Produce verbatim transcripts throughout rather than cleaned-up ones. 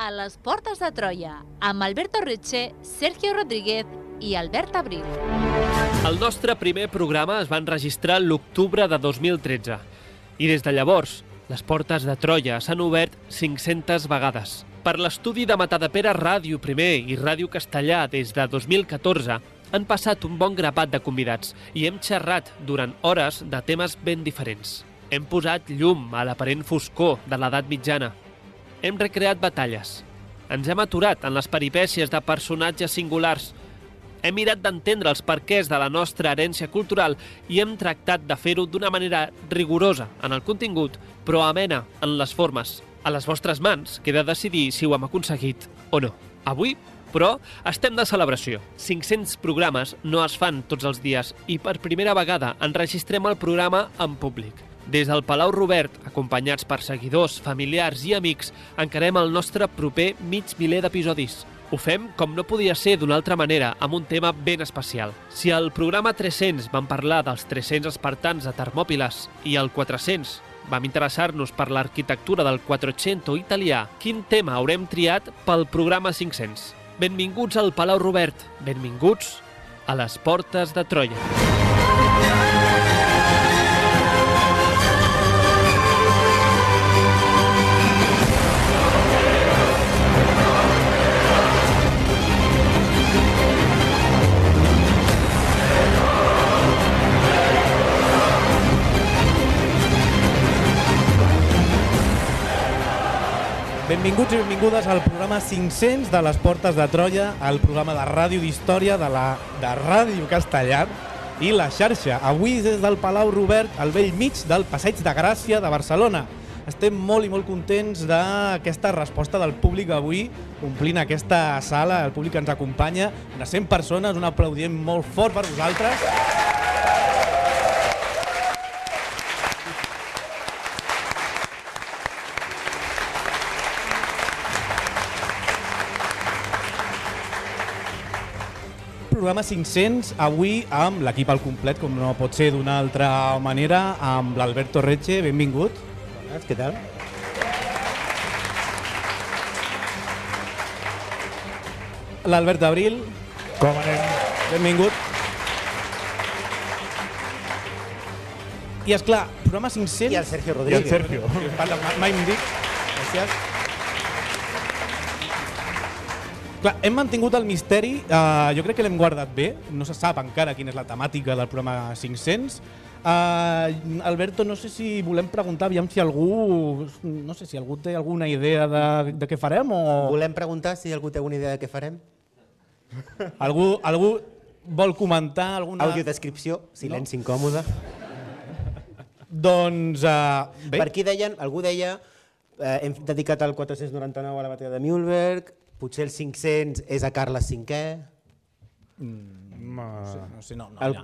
a les Portes de Troia, amb Alberto Reche, Sergio Rodríguez i Albert Abril. El nostre primer programa es va enregistrar l'octubre de dos mil tretze i des de llavors les Portes de Troia s'han obert cinc-centes vegades. Per l'estudi de Matadepera Ràdio primer i Ràdio Castellà des de dos mil catorze han passat un bon grapat de convidats i hem xerrat durant hores de temes ben diferents. Hem posat llum a l'aparent foscor de l'edat mitjana. Hem recreat batalles. Ens hem aturat en les peripècies de personatges singulars. Hem mirat d'entendre els perquès de la nostra herència cultural i hem tractat de fer-ho d'una manera rigorosa en el contingut, però amena en les formes. A les vostres mans queda decidir si ho hem aconseguit o no. Avui, però, estem de celebració. cinc-cents programes no es fan tots els dies i per primera vegada enregistrem el programa en públic. Des del Palau Robert, acompanyats per seguidors, familiars i amics, encarem el nostre proper mig miler d'episodis. Ho fem com no podia ser d'una altra manera, amb un tema ben especial. Si al programa tres-cents vam parlar dels tres-cents espartans de Termòpiles i al quatre-cents vam interessar-nos per l'arquitectura del Quattrocento italià, quin tema haurem triat pel programa cinc-cents? Benvinguts al Palau Robert, benvinguts a les Portes de Troia. Benvinguts i benvingudes al programa cinc-cents de les Portes de Troia, el programa de ràdio d'història de la de Ràdio Castellà i la xarxa. Avui des del Palau Robert, al vell mig del Passeig de Gràcia de Barcelona. Estem molt i molt contents d'aquesta resposta del públic avui, omplint aquesta sala, el públic que ens acompanya, unes cent persones, un aplaudiment molt fort per vosaltres. Programa cinc-cents, avui amb l'equip al complet, com no pot ser d'una altra manera, amb l'Alberto Reche, benvingut. Bones, què tal? L'Albert Abril. Com anem? Benvingut. I esclar, programa cinc-cents... I el Sergio Rodríguez. I el Sergio. Parla, mai em dic. Gràcies. Clar, hem mantingut el misteri, uh, jo crec que l'hem guardat bé, no se sap encara quina és la temàtica del programa cinc-cents. Uh, Alberto, no sé si volem preguntar, aviam si algú, no sé si algú té alguna idea de, de què farem o... Volem preguntar si algú té alguna idea de què farem? Algú, algú vol comentar alguna... Audiodescripció, silenci no? Incòmode. Doncs, uh, bé... Per aquí deien, algú deia, eh, hem dedicat el quatre-cents noranta-nou a la batalla de Mühlberg, potser el cinc-cents és a Carles cinquè. Mm, no sé, no, sé, no, no, el... ja.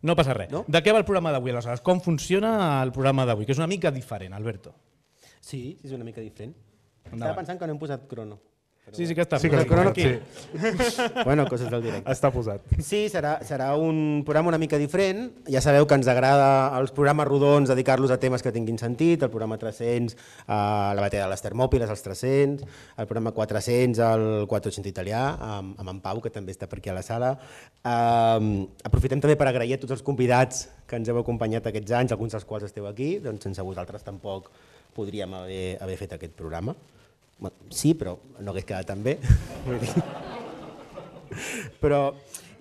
no passa res. No? De què va el programa d'avui, aleshores? Com funciona el programa d'avui? Que és una mica diferent, Alberto. Sí, és una mica diferent. Endavant. Estava pensant que no hem posat crono. Però sí, sí que està sí, posat. Que crono aquí. Sí. Bueno, coses del directe. Està posat. Sí, serà, serà un programa una mica diferent. Ja sabeu que ens agrada els programes rodons dedicar-los a temes que tinguin sentit, el programa tres-cents a la batalla de les Termòpiles, els tres-cents, el programa quatre-cents al Quattrocento italià, amb, amb en Pau, que també està per aquí a la sala. Um, aprofitem també per agrair a tots els convidats que ens heu acompanyat aquests anys, alguns dels quals esteu aquí, doncs sense vosaltres tampoc podríem haver, haver fet aquest programa. Sí, però no hagués quedat tan bé. Però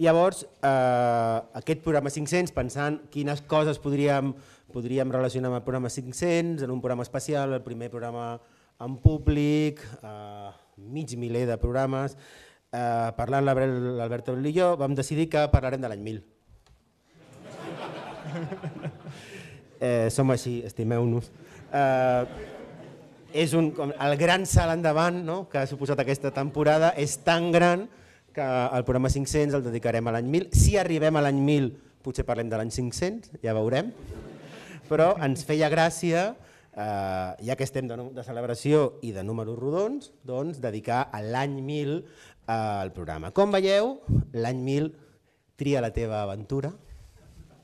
llavors, eh, aquest programa cinc-cents, pensant quines coses podríem, podríem relacionar amb el programa cinc-cents, en un programa especial, el primer programa en públic, eh, mig miler de programes, eh, parlant l'Albert Abril i jo, vam decidir que parlarem de l'any mil. Eh, som així, estimeu-nos. Eh, És un, el gran salt endavant, no?, que ha suposat aquesta temporada, és tan gran que el programa cinc-cents el dedicarem a l'any mil. Si arribem a l'any mil potser parlem de l'any cinc-cents, ja veurem, però ens feia gràcia, eh, ja que estem de, de celebració i de números rodons, doncs dedicar a l'any mil eh, al programa. Com veieu, l'any mil tria la teva aventura.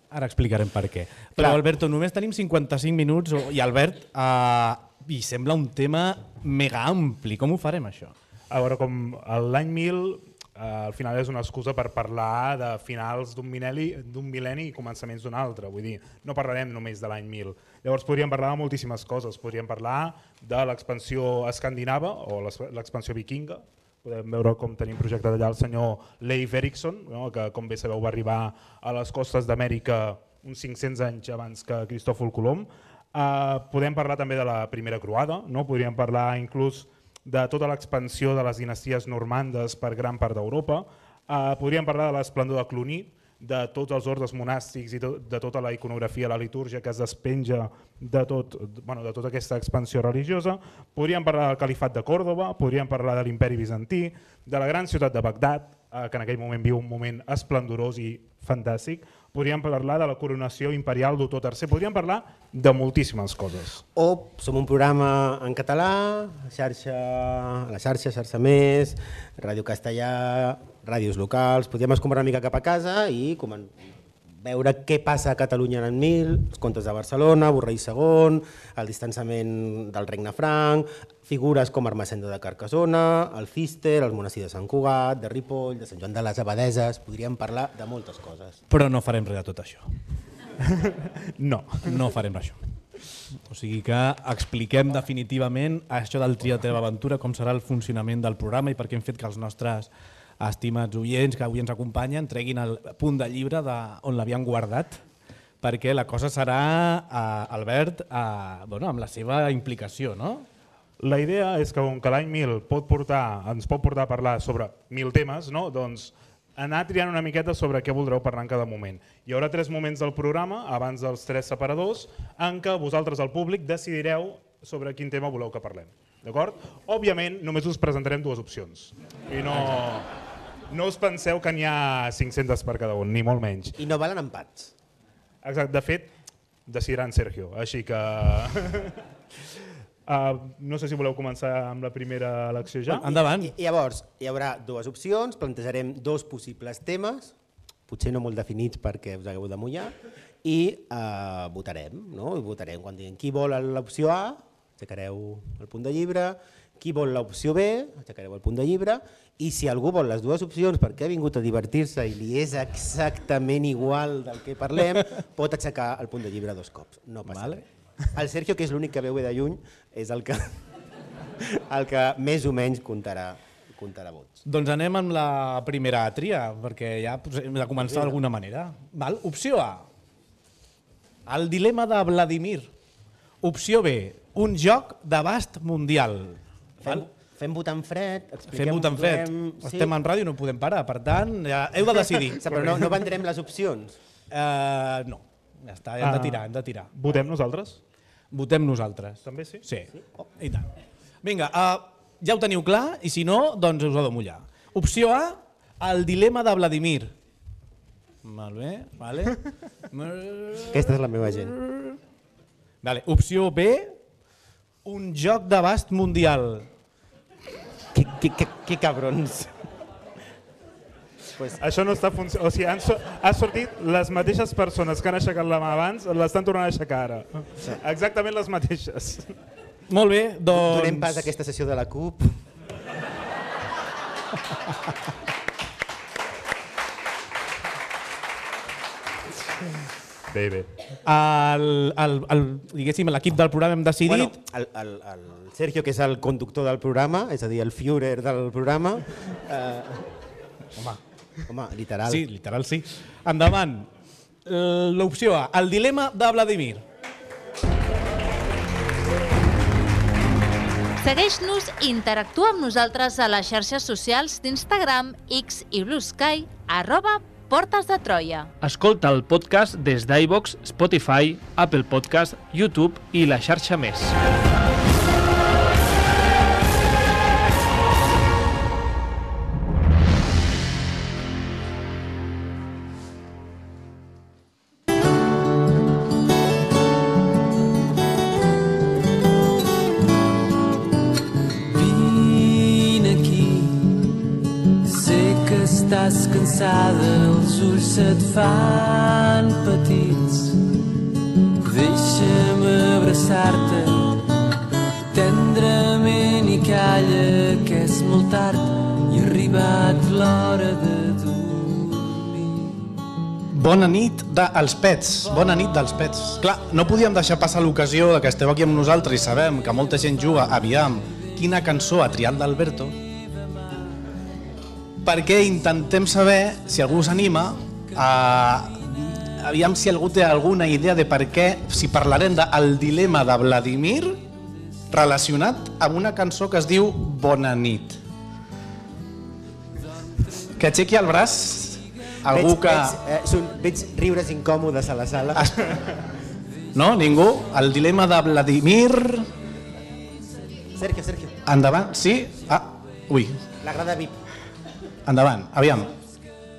Ara explicarem per què. Però, Alberto, només tenim cinquanta-cinc minuts i, Albert, eh, i sembla un tema mega ampli. Com ho farem, això? A veure, com l'any mil, eh, al final és una excusa per parlar de finals d'un mil·lenni, d'un mil·lenni i començaments d'un altre. Vull dir, no parlarem només de l'any mil. Llavors podríem parlar de moltíssimes coses. Podríem parlar de l'expansió escandinava o l'expansió vikinga. Podem veure com tenim projectat allà el senyor Leif Erikson, no? Que com bé sabeu va arribar a les costes d'Amèrica uns cinc-cents anys abans que Cristòfol Colom. Uh, podem parlar també de la primera croada, no? Podríem parlar inclús de tota l'expansió de les dinasties normandes per gran part d'Europa. Uh, podríem parlar de l'esplendor de Cluny, de tots els ordes monàstics i to de tota la iconografia, la litúrgia que es despenja de, tot, bueno, de tota aquesta expansió religiosa. Podríem parlar del califat de Còrdova, podríem parlar de l'imperi bizantí, de la gran ciutat de Bagdad, eh, que en aquell moment viu un moment esplendorós i fantàstic. Podríem parlar de la coronació imperial d'Otó tercer, podríem parlar de moltíssimes coses. O som un programa en català, xarxa, a la xarxa, xarxa més, Ràdio Castellà, ràdios locals, podríem escombrar una mica cap a casa i veure què passa a Catalunya en mil, els contes de Barcelona, Borrell segon, el distanciament del Regne Franc, figures com Ermessenda de Carcassona, el Cister, el monestir de Sant Cugat, de Ripoll, de Sant Joan de les Abadeses, podríem parlar de moltes coses. Però no farem res de tot això. No. No farem això. O sigui que expliquem definitivament això del Tria Teva Aventura, com serà el funcionament del programa i per què hem fet que els nostres estimats oients que avui ens acompanyen treguin el punt de llibre de on l'havien guardat, perquè la cosa serà, eh, Albert, eh, bueno, amb la seva implicació, no? La idea és que com que l'any mil pot portar, ens pot portar a parlar sobre mil temes, no? Doncs anar triant una miqueta sobre què voldreu parlar en cada moment. Hi haurà tres moments del programa, abans dels tres separadors, en què vosaltres, el públic, decidireu sobre quin tema voleu que parlem. D'acord? Òbviament, només us presentarem dues opcions. I no, no us penseu que n'hi ha cinc-centes per cada un, ni molt menys. I no valen empats. Exacte. De fet, decidirà en Sergio, així que... Uh, no sé si voleu començar amb la primera elecció ja. Endavant. I, llavors, hi haurà dues opcions, plantejarem dos possibles temes, potser no molt definits perquè us hagueu de mullar, i uh, votarem, no? I votarem quan diguem qui vol l'opció A, aixecareu el punt de llibre, qui vol l'opció B, aixecareu el punt de llibre, i si algú vol les dues opcions perquè ha vingut a divertir-se i li és exactament igual del que parlem, pot aixecar el punt de llibre dos cops, no passa vale. res. El Sergio, que és l'únic que veu de lluny, és el que, el que més o menys comptarà, comptarà vots. Doncs anem amb la primera tria, perquè ja hem de començar d'alguna manera. Val? Opció A, el dilema de Vladimir. Opció B, un joc d'abast mundial. Fem, fem votant fred, expliquem... Fem votant fred. Sí. Estem en ràdio, no podem parar, per tant, ja heu de decidir. Però no, no vendrem les opcions? Uh, no, ja està, hem de tirar, hem de tirar. Votem nosaltres? Votem nosaltres. També sí? Sí, sí? Oh. I tant. Vinga, uh, ja ho teniu clar i si no, doncs us ho de mullar. Opció A, el dilema de Vladimir. Molt bé, vale. Aquesta és la meva gent. Vale. Opció B, un joc d'abast mundial. Que, que, que, que cabrons. Pues... Això no està funcionant. O sigui, han, so han sortit les mateixes persones que han aixecat la mà abans, l'estan tornant a aixecar ara. Sí. Exactament les mateixes. Molt bé, doncs... Donem pas a aquesta sessió de la CUP. Bé, bé. El, el, el, diguéssim, l'equip del programa hem decidit... Bueno, el, el, el Sergio, que és el conductor del programa, és a dir, el Führer del programa... Eh, home, home, literal. Sí, literal, sí. Endavant. L'opció A, el dilema de Vladimir. Segueix-nos i interactua amb nosaltres a les xarxes socials d'Instagram, X i Blue Sky, arroba Portes de Troia. Escolta el podcast des d'iVoox, Spotify, Apple Podcast, YouTube i la xarxa més. Estàs cansada, els ulls se't fan petits. Deixa'm abraçar-te, tendrament i calla que és molt tard i ha arribat l'hora de dormir. Bona nit dels pets, bona nit dels pets. Clar, no podíem deixar passar l'ocasió de que esteu aquí amb nosaltres i sabem que molta gent juga, aviam, quina cançó ha triat l'Alberto, perquè intentem saber si algú s'anima a... aviam si algú té alguna idea de per què, si parlarem del dilema de Vladimir relacionat amb una cançó que es diu Bona nit. Que aixequi el braç algú veig, que... Veig, eh, són, veig riures incòmodes a la sala. Es... No? Ningú? El dilema de Vladimir... Sergio, Sergio. Endavant, sí? Ah, ui. La grada V I P. Endavant, aviam.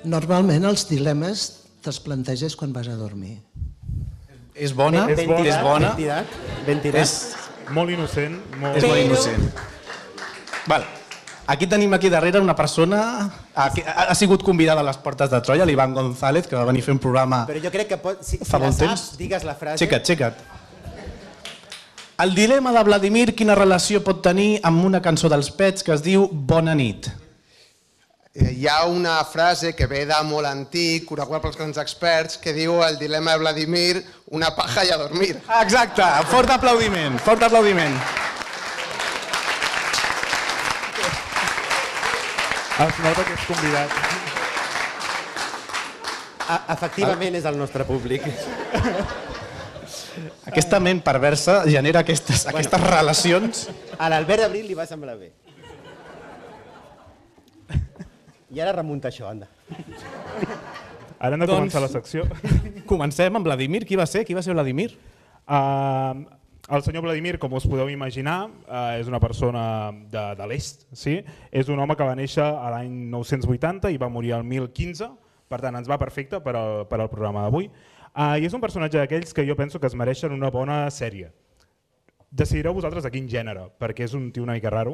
Normalment els dilemes te'ls planteges quan vas a dormir. És bona? És bona. És bona? Ben tirat, ben tirat. És, Molt innocent. Molt... és molt innocent. Val. Aquí tenim aquí darrere una persona que ha sigut convidada a les Portes de Troia, l'Ivan González, que va venir a fer un programa Però jo crec que pot, si, si fa la bon saps, temps. digues la frase. Aixeca't, aixeca't. El dilema de Vladimir, quina relació pot tenir amb una cançó dels Pets que es diu Bona nit? Hi ha una frase que ve de molt antic, coneguda pels grans experts, que diu el dilema de Vladimir, una paja i a dormir. Exacte, fort aplaudiment, fort aplaudiment. Es nota que és convidat. A, efectivament és el nostre públic. Aquesta ment perversa genera aquestes, aquestes relacions. A l'Albert Abril li va semblar bé. I ara remunta això, anda. Ara hem de Doncs- començar la secció. Comencem amb Vladimir. Qui va ser? Qui va ser Vladimir? Uh, el senyor Vladimir, com us podeu imaginar, uh, és una persona de, de l'est. Sí? És un home que va néixer a l'any nou-cents vuitanta i va morir al mil quinze, per tant ens va perfecte per al, per al programa d'avui. Uh, I és un personatge d'aquells que jo penso que es mereixen una bona sèrie. Decidireu vosaltres de quin gènere, perquè és un tio una mica raro,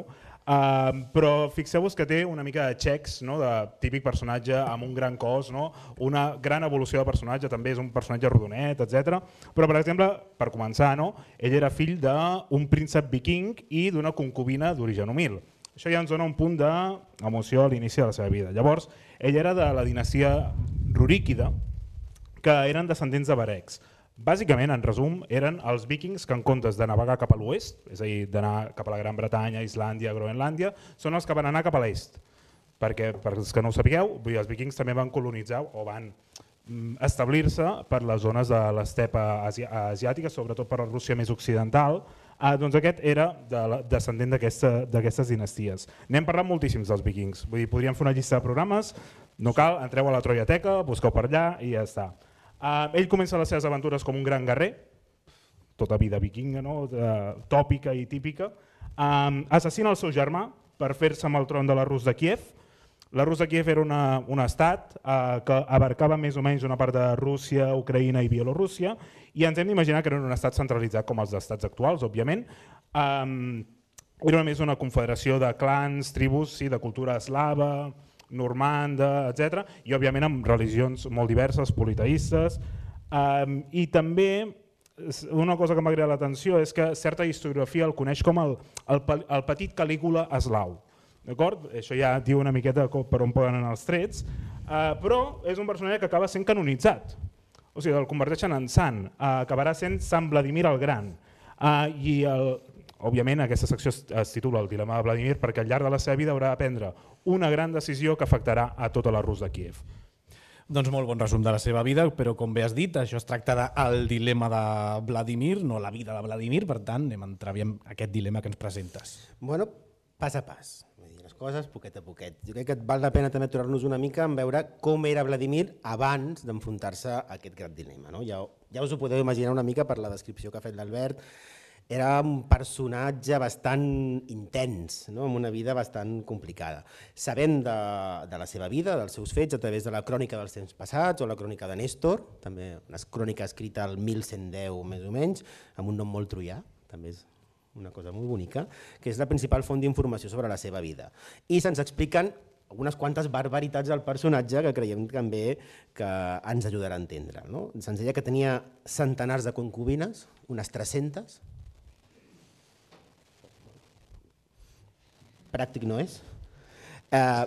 uh, però fixeu-vos que té una mica de xecs, no? De típic personatge amb un gran cos, no? Una gran evolució de personatge, també és un personatge rodonet, etcètera. Però, per exemple, per començar, no? Ell era fill d'un príncep viking i d'una concubina d'origen humil. Això ja ens dona un punt d'emoció a l'inici de la seva vida. Llavors, ell era de la dinastia ruríquida, que eren descendents de varecs. Bàsicament, en resum, eren els vikings que en comptes de navegar cap a l'oest, és a dir, d'anar cap a la Gran Bretanya, Islàndia, Groenlàndia, són els que van anar cap a l'est. Perquè, per als que no ho sapigueu, els vikings també van colonitzar o van establir-se per les zones de l'estepa asi asiàtica, sobretot per la Rússia més occidental. Ah, doncs aquest era de la, descendent d'aquestes dinasties. N'hem parlat moltíssims dels vikings. Vull dir, podríem fer una llista de programes, no cal, entreu a la Troiateca, busqueu per allà i ja està. Uh, ell comença les seves aventures com un gran guerrer, tota vida vikinga, no? uh, tòpica i típica. Um, assassina el seu germà per fer-se amb el tron de la Rus de Kiev. La Rus de Kiev era una, un estat uh, que abarcava més o menys una part de Rússia, Ucraïna i Bielorússia, i ens hem d'imaginar que era un estat centralitzat com els estats actuals, òbviament. Um, era més una confederació de clans, tribus, sí, de cultura eslava, normanda, etcètera, i òbviament amb religions molt diverses, politeistes. Um, I també una cosa que m'ha cridat l'atenció és que certa historiografia el coneix com el, el, el petit Calígula eslau. D'acord? Això ja diu una miqueta per on poden anar els trets, uh, però és un personatge que acaba sent canonitzat. O sigui, el converteixen en sant, uh, acabarà sent Sant Vladimir el Gran. Uh, I el, òbviament aquesta secció es, es titula El dilema de Vladimir perquè al llarg de la seva vida haurà de prendre una gran decisió que afectarà a tota la Rus de Kiev. Doncs molt bon resum de la seva vida, però com bé has dit, això es tracta del dilema de Vladimir, no la vida de Vladimir, per tant anem a entrar en aquest dilema que ens presentes. Bueno, pas a pas, vull dir, les coses poquet a poquet. Jo crec que val la pena també aturar-nos una mica en veure com era Vladimir abans d'enfrontar-se a aquest gran dilema. No? Ja, ja us ho podeu imaginar una mica per la descripció que ha fet l'Albert. Era un personatge bastant intens, no? Amb una vida bastant complicada. Sabem de, de la seva vida, dels seus fets, a través de la crònica dels temps passats o la crònica de Néstor, també una crònica escrita al mil cent deu més o menys, amb un nom molt troià, també és una cosa molt bonica, que és la principal font d'informació sobre la seva vida. I se'ns expliquen algunes quantes barbaritats del personatge que creiem també que ens ajudarà a entendre. No? Se'ns deia que tenia centenars de concubines, unes tres-centes, pràctic no és. Eh,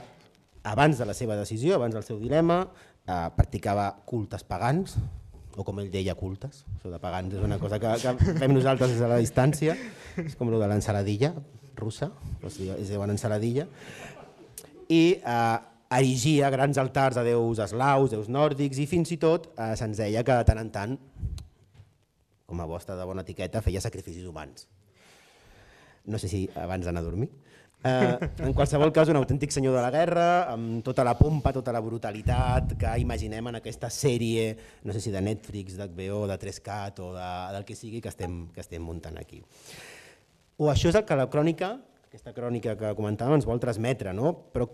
abans de la seva decisió, abans del seu dilema, eh, practicava cultes pagans, o com ell deia, cultes. Això de pagans és una cosa que, que fem nosaltres des de la distància, és com el de l'ensaladilla russa, es diuen ensaladilla, i eh, erigia grans altars a déus eslaus, déus nòrdics, i fins i tot eh, se'ns deia que de tant en tant, com a vostra de bona etiqueta, feia sacrificis humans. No sé si abans d'anar a dormir. Eh, en qualsevol cas, un autèntic senyor de la guerra, amb tota la pompa, tota la brutalitat que imaginem en aquesta sèrie, no sé si de Netflix, d'H B O, de tres cat o de, del que sigui que estem, que estem muntant aquí. O això és el que la crònica, aquesta crònica que comentàvem, ens vol transmetre, no? Però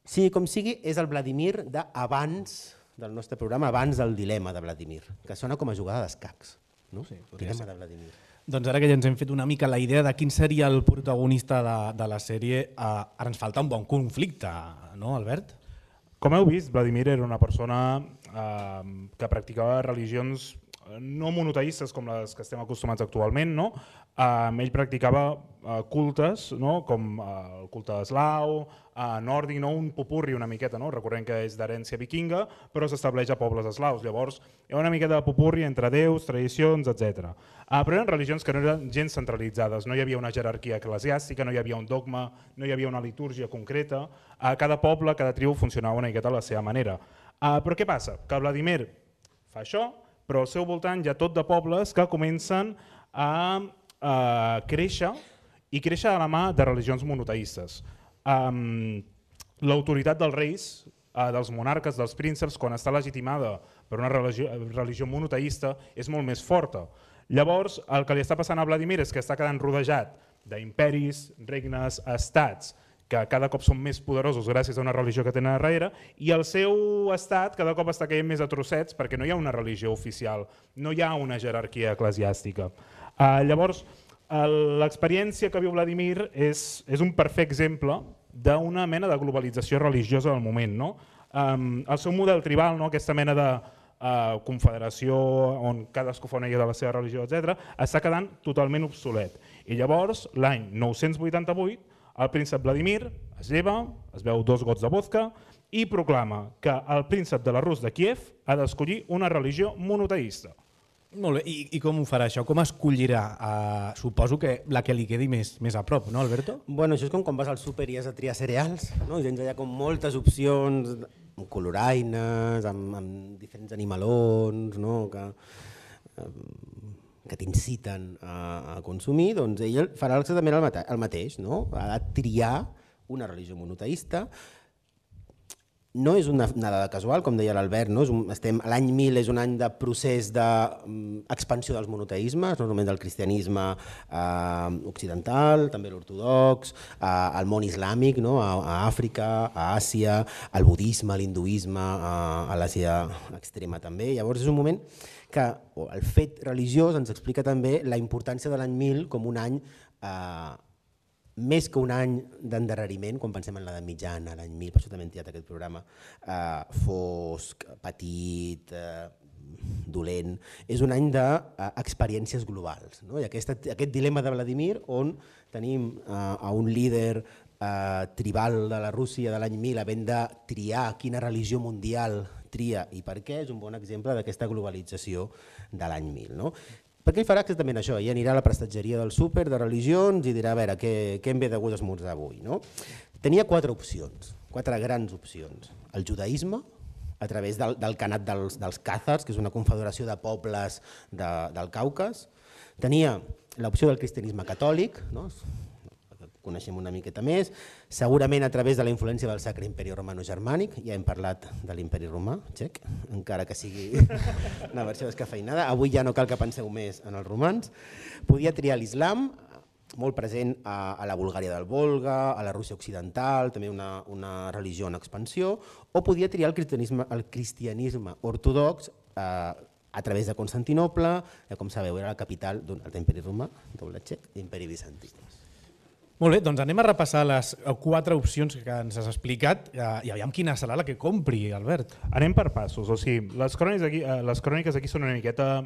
sigui com sigui, és el Vladimir d'abans del nostre programa, abans del dilema de Vladimir, que sona com a jugada d'escacs. No? Sí, dilema de Vladimir. Doncs ara que ja ens hem fet una mica la idea de quin seria el protagonista de, de la sèrie, eh, ara ens falta un bon conflicte, no, Albert? Com heu vist, Vladimir era una persona eh, que practicava religions no monoteistes com les que estem acostumats actualment, no? Eh, ell practicava eh, cultes, no? Com eh, el culte eslau, eh, nòrdic, no? Un popurri una miqueta, no? Recordem que és d'herència vikinga, però s'estableix a pobles eslaus. Llavors, hi ha una miqueta de popurri entre déus, tradicions, etcètera. Eh, però eren religions que no eren gens centralitzades, no hi havia una jerarquia eclesiàstica, no hi havia un dogma, no hi havia una litúrgia concreta. Eh, cada poble, cada tribu funcionava una miqueta a la seva manera. Eh, però què passa? Que Vladimir fa això, però al seu voltant hi ha tot de pobles que comencen a, a créixer i créixer de la mà de religions monoteistes. Um, L'autoritat dels reis, uh, dels monarques, dels prínceps, quan està legitimada per una religió, religió monoteista, és molt més forta. Llavors, el que li està passant a Vladimir és que està quedant rodejat d'imperis, regnes, estats, que cada cop són més poderosos gràcies a una religió que tenen darrere, i el seu estat cada cop està caient més a trossets perquè no hi ha una religió oficial, no hi ha una jerarquia eclesiàstica. Uh, llavors, uh, l'experiència que viu Vladimir és, és un perfecte exemple d'una mena de globalització religiosa del moment. No? Um, el seu model tribal, no? Aquesta mena de uh, confederació on cadascú fa una idea de la seva religió, etcètera, està quedant totalment obsolet. I llavors, l'any nou-cents vuitanta-vuit, el príncep Vladimir es lleva, es veu dos gots de vodka i proclama que el príncep de la Rus de Kíev ha d'escollir una religió monoteista. Molt bé, I, i com ho farà això? Com escollirà? Uh, suposo que la que li quedi més, més a prop, no, Alberto? Bueno, això és com quan vas al súper i has de triar cereals, no? I tens allà com moltes opcions, amb coloraines, amb, amb diferents animalons, no? que, que t'inciten a, a consumir, doncs ell farà exactament el, mate el mateix, no? Ha de triar una religió monoteista. No és una dada casual, com deia l'Albert, no? L'any mil és un any de procés d'expansió dels monoteismes, no només del cristianisme eh, occidental, també l'ortodox, eh, el món islàmic, no? a, a Àfrica, a Àsia, el budisme, l'hinduisme, a, a l'Àsia extrema també. Llavors és un moment que el fet religiós ens explica també la importància de l'any mil com un any eh, més que un any d'endarreriment, quan pensem en l'edat mitjana, l'any mil, per això també hem tirat aquest programa, eh, fosc, petit, eh, dolent, és un any d'experiències globals. No? I aquest, aquest dilema de Vladimir, on tenim eh, a un líder eh, tribal de la Rússia de l'any mil havent de triar quina religió mundial tria i per què, és un bon exemple d'aquesta globalització de l'any mil. No? Perquè ell farà exactament això, ell anirà a la prestatgeria del súper de religions i dirà a veure què, què em ve de gust esmorzar avui. No? Tenia quatre opcions, quatre grans opcions. El judaïsme, a través del, del Khanat dels, dels Khàzars, que és una confederació de pobles de, del Caucas. Tenia l'opció del cristianisme catòlic, no? Coneixem una miqueta més, segurament a través de la influència del Sacre Imperi Romano-Germànic, ja hem parlat de l'imperi romà, txec, encara que sigui una versió descafeinada, avui ja no cal que penseu més en els romans. Podia triar l'islam, molt present a, a la Bulgària del Volga, a la Rússia occidental, també una, una religió en expansió, o podia triar el cristianisme, el cristianisme ortodox eh, a través de Constantinople, eh, com sabeu era la capital d'un altre imperi romà, doble txec, l'imperi bizantí. Molt bé, doncs anem a repassar les quatre opcions que ens has explicat i aviam quina serà la que compri, Albert. Anem per passos, o sigui, les cròniques aquí, les cròniques aquí són una miqueta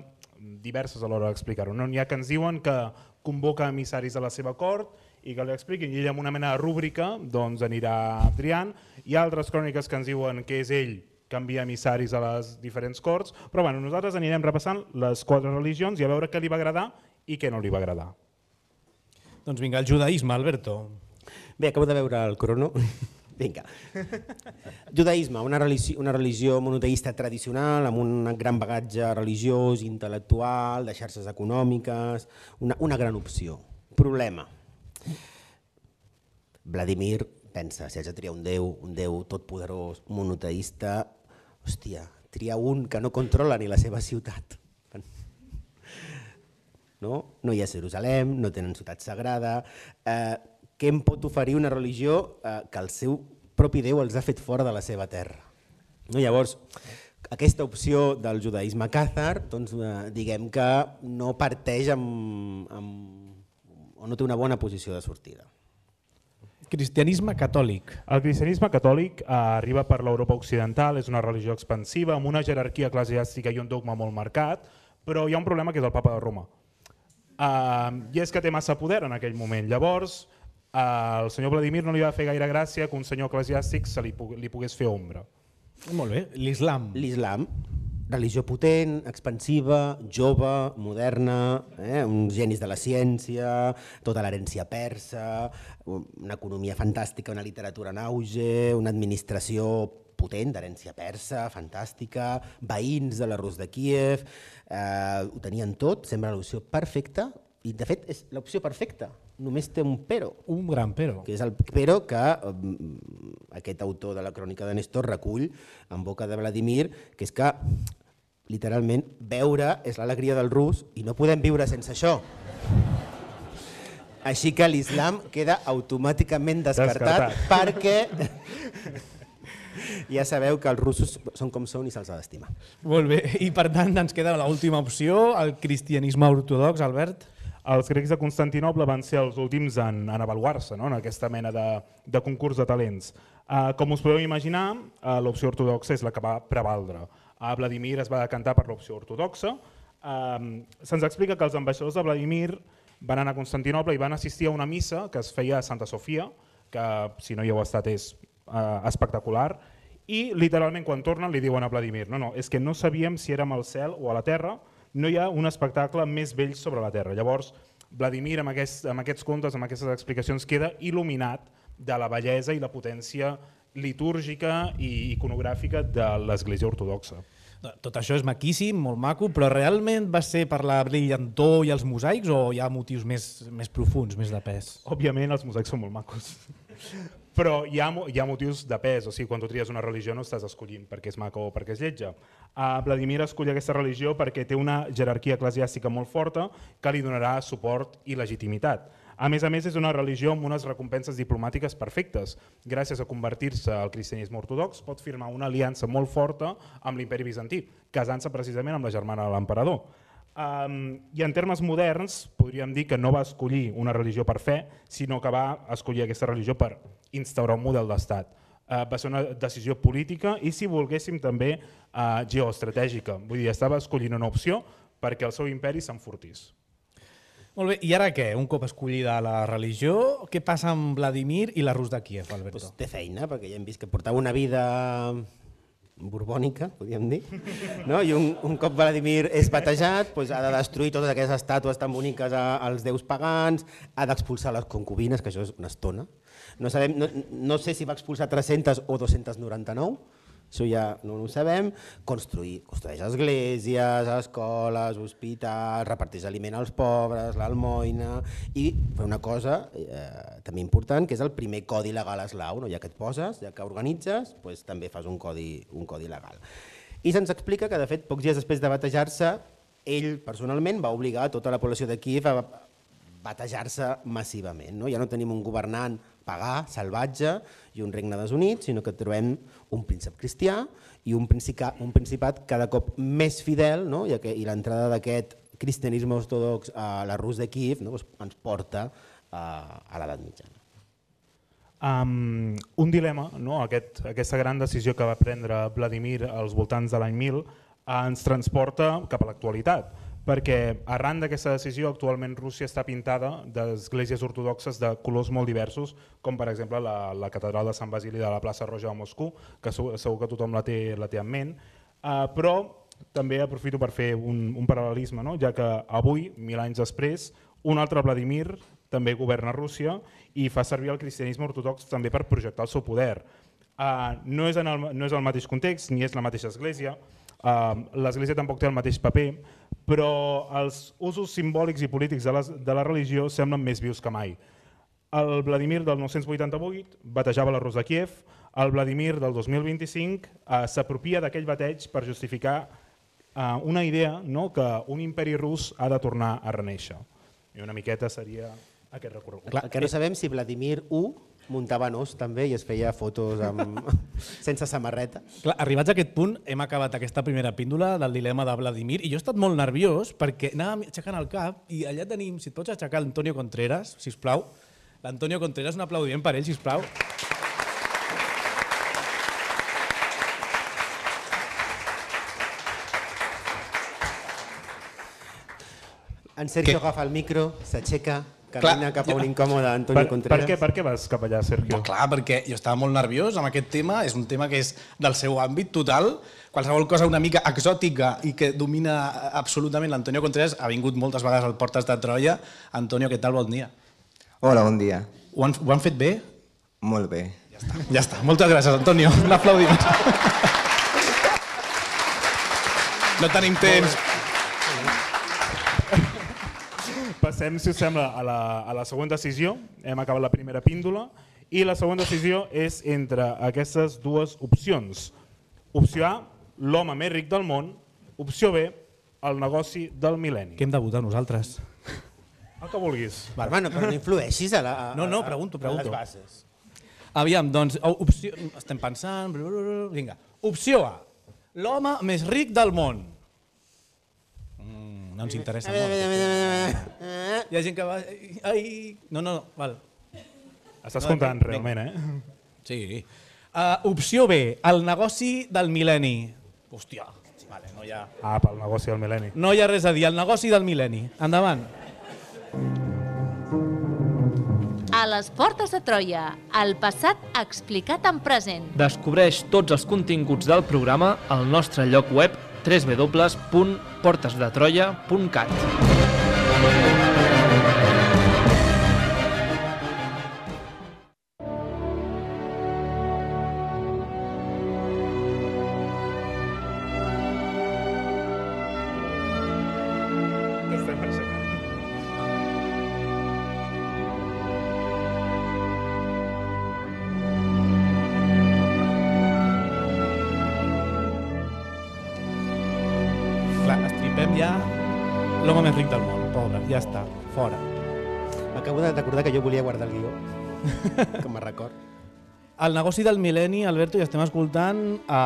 diverses a l'hora d'explicar-ho. No? N'hi ha que ens diuen que convoca emissaris a la seva cort i que li expliquin. I ell amb una mena de rúbrica doncs, anirà triant. Hi ha altres cròniques que ens diuen que és ell que envia emissaris a les diferents corts, però bueno, nosaltres anirem repassant les quatre religions i a veure què li va agradar i què no li va agradar. Doncs vinga, el judaïsme, Alberto. Bé, acabo de veure el crono. Vinga. Judaïsme, una religió, una religió monoteista tradicional amb un gran bagatge religiós, intel·lectual, de xarxes econòmiques, una, una gran opció. Problema. Vladimir pensa, si haig de triar un déu, un déu totpoderós, monoteista, hòstia, triar un que no controla ni la seva ciutat. No, no hi ha Jerusalem, no tenen ciutat sagrada. Eh, què em pot oferir una religió eh, que el seu propi Déu els ha fet fora de la seva terra? No, llavors, aquesta opció del judaïsme càthar, doncs, eh, diguem que no parteix amb, amb, o no té una bona posició de sortida. Cristianisme catòlic. El cristianisme catòlic eh, arriba per l'Europa occidental, és una religió expansiva, amb una jerarquia eclesiàstica i un dogma molt marcat, però hi ha un problema que és el papa de Roma. Uh, I és que té massa poder en aquell moment. Llavors, uh, el senyor Vladimir no li va fer gaire gràcia que un senyor eclesiàstic se li, li pogués fer ombra. Molt bé, l'islam. L'islam, religió potent, expansiva, jove, moderna, eh? uns genis de la ciència, tota l'herència persa, una economia fantàstica, una literatura en auge, una administració potent, d'herència persa, fantàstica, veïns de la Rus de Kíev, eh, ho tenien tot, sembla l'opció perfecta, i de fet és l'opció perfecta, només té un pero. Un gran pero. Que és el pero que eh, aquest autor de la crònica de Néstor recull en boca de Vladimir, que és que literalment veure és l'alegria del rus i no podem viure sense això. Així que l'islam queda automàticament descartat, descartat. perquè ja sabeu que els russos són com són i se'ls ha d'estimar. Molt bé, i per tant ens queda l'última opció, el cristianisme ortodox, Albert. Els grecs de Constantinoble van ser els últims en, en avaluar-se, no? En aquesta mena de, de concurs de talents. Uh, com us podeu imaginar, uh, l'opció ortodoxa és la que va prevaldre. Uh, Vladimir es va decantar per l'opció ortodoxa. Uh, Se'ns explica que els ambaixadors de Vladimir van anar a Constantinoble i van assistir a una missa que es feia a Santa Sofia, que si no hi heu estat és uh, espectacular, i literalment quan tornen li diuen a Vladimir no, no, és que no sabíem si érem al cel o a la terra, no hi ha un espectacle més vell sobre la terra. Llavors, Vladimir amb, aquest, amb aquests contes, amb aquestes explicacions, queda il·luminat de la bellesa i la potència litúrgica i iconogràfica de l'Església Ortodoxa. Tot això és maquíssim, molt maco, però realment va ser per la brillantor i els mosaics o hi ha motius més, més profunds, més de pes? Òbviament els mosaics són molt macos, però hi ha, hi ha motius de pes, o sigui, quan tu tries una religió no estàs escollint perquè és maca o perquè és lletja. Uh, Vladimir escull aquesta religió perquè té una jerarquia eclesiàstica molt forta que li donarà suport i legitimitat. A més a més, és una religió amb unes recompenses diplomàtiques perfectes. Gràcies a convertir-se al cristianisme ortodox, pot firmar una aliança molt forta amb l'imperi bizantí, casant-se precisament amb la germana de l'emperador. Um, I en termes moderns, podríem dir que no va escollir una religió per fe, sinó que va escollir aquesta religió per instaurar un model d'estat. Uh, va ser una decisió política i, si volguéssim, també uh, geoestratègica. Vull dir, estava escollint una opció perquè el seu imperi s'enfortís. Molt bé, i ara què? Un cop escollida la religió, què passa amb Vladimir i la Rus de Kíev, Alberto? Pues té feina, perquè ja hem vist que portava una vida borbònica, podríem dir, no? I un, un cop Vladimir és batejat, pues ha de destruir totes aquestes estàtues tan boniques a, als déus pagans, ha d'expulsar les concubines, que això és una estona. No, sabem, no, no sé si va expulsar tres-centes o dos-centes noranta-nou, això ja no ho sabem. Construir, construeix esglésies, escoles, hospitals, reparteix aliment als pobres, l'almoina, i fer una cosa eh, també important, que és el primer codi legal eslau, no? Ja que et poses, ja que organitzes, pues, també fas un codi, un codi legal. I se'ns explica que, de fet, pocs dies després de batejar-se, ell personalment va obligar a tota la població de Kíev a batejar-se massivament. No? Ja no tenim un governant pagà, salvatge i un regne desunit, sinó que trobem un príncep cristià i un, principat, un principat cada cop més fidel, no? I, que, i l'entrada d'aquest cristianisme ortodox a la Rus de Kíev, no? Pues ens porta a, a l'edat mitjana. Um, un dilema, no? Aquest, aquesta gran decisió que va prendre Vladimir als voltants de l'any mil ens transporta cap a l'actualitat, perquè arran d'aquesta decisió actualment Rússia està pintada d'esglésies ortodoxes de colors molt diversos, com per exemple la, la catedral de Sant Basili de la plaça Roja de Moscou, que segur, segur que tothom la té, la té en ment, uh, però també aprofito per fer un, un paral·lelisme, no? Ja que avui, mil anys després, un altre Vladimir també governa Rússia i fa servir el cristianisme ortodox també per projectar el seu poder. Uh, no, és en el, no és el mateix context, ni és la mateixa església, uh, l'església tampoc té el mateix paper, però els usos simbòlics i polítics de la, de la religió semblen més vius que mai. El Vladimir del nou-cents vuitanta-vuit batejava la Rus de Kíev, el Vladimir del dos mil vint-i-cinc uh, s'apropia d'aquell bateig per justificar uh, una idea, no?, que un imperi rus ha de tornar a renéixer. I una miqueta seria aquest recorregut. Clar, el que no sabem si Vladimir u muntava nos també i es feia fotos amb... sense samarreta. Clar, arribats a aquest punt hem acabat aquesta primera píndola del dilema de Vladimir i jo he estat molt nerviós perquè anàvem aixecant el cap i allà tenim, si et pots aixecar l'Antonio Contreras, sisplau. L'Antonio Contreras, un aplaudiment per ell, sisplau. En Sergio agafa el micro, s'aixeca, camina cap a un incòmode Antonio Per, Contreras. per, què, per què vas cap allà, Sergio? No, clar, perquè jo estava molt nerviós amb aquest tema, és un tema que és del seu àmbit total, qualsevol cosa una mica exòtica i que domina absolutament l'Antonio Contreras, ha vingut moltes vegades al Portes de Troia. Antonio, què tal? Bon dia. Hola, bon dia. Ho han, ho han fet bé? Molt bé. Ja està, ja està. Moltes gràcies, Antonio. Un aplaudiment. No tenim temps. Passem, si us sembla, a la, a la següent decisió. Hem acabat la primera píndola i la següent decisió és entre aquestes dues opcions. Opció A, l'home més ric del món. Opció B, el negoci del mil·lenni. Què hem de votar nosaltres? El que vulguis. Va, hermano, però no influeixis a, la, a, No, no, pregunto, a pregunto. les bases. Aviam, doncs, opció... estem pensant... Vinga. Opció A, l'home més ric del món. Mm, no ens interessa molt. Hi ha gent que va... Ai... No, no, val. Estàs No, comptant vinga. realment, eh? Sí. Uh, opció B, el negoci del mil·lenni. Hòstia, vale, no hi ha... Ah, pel negoci del mil·lenni. No hi ha res a dir, el negoci del mil·lenni. Endavant. A les portes de Troia, el passat explicat en present. Descobreix tots els continguts del programa al nostre lloc web w w w punt portes de troia punt cat. Clar, estripem ja l'home més ric del món, pobre, ja està, fora. Acabo de recordar que jo volia guardar el guió, com a record. El negoci del mil·lenni, Alberto, i estem escoltant a,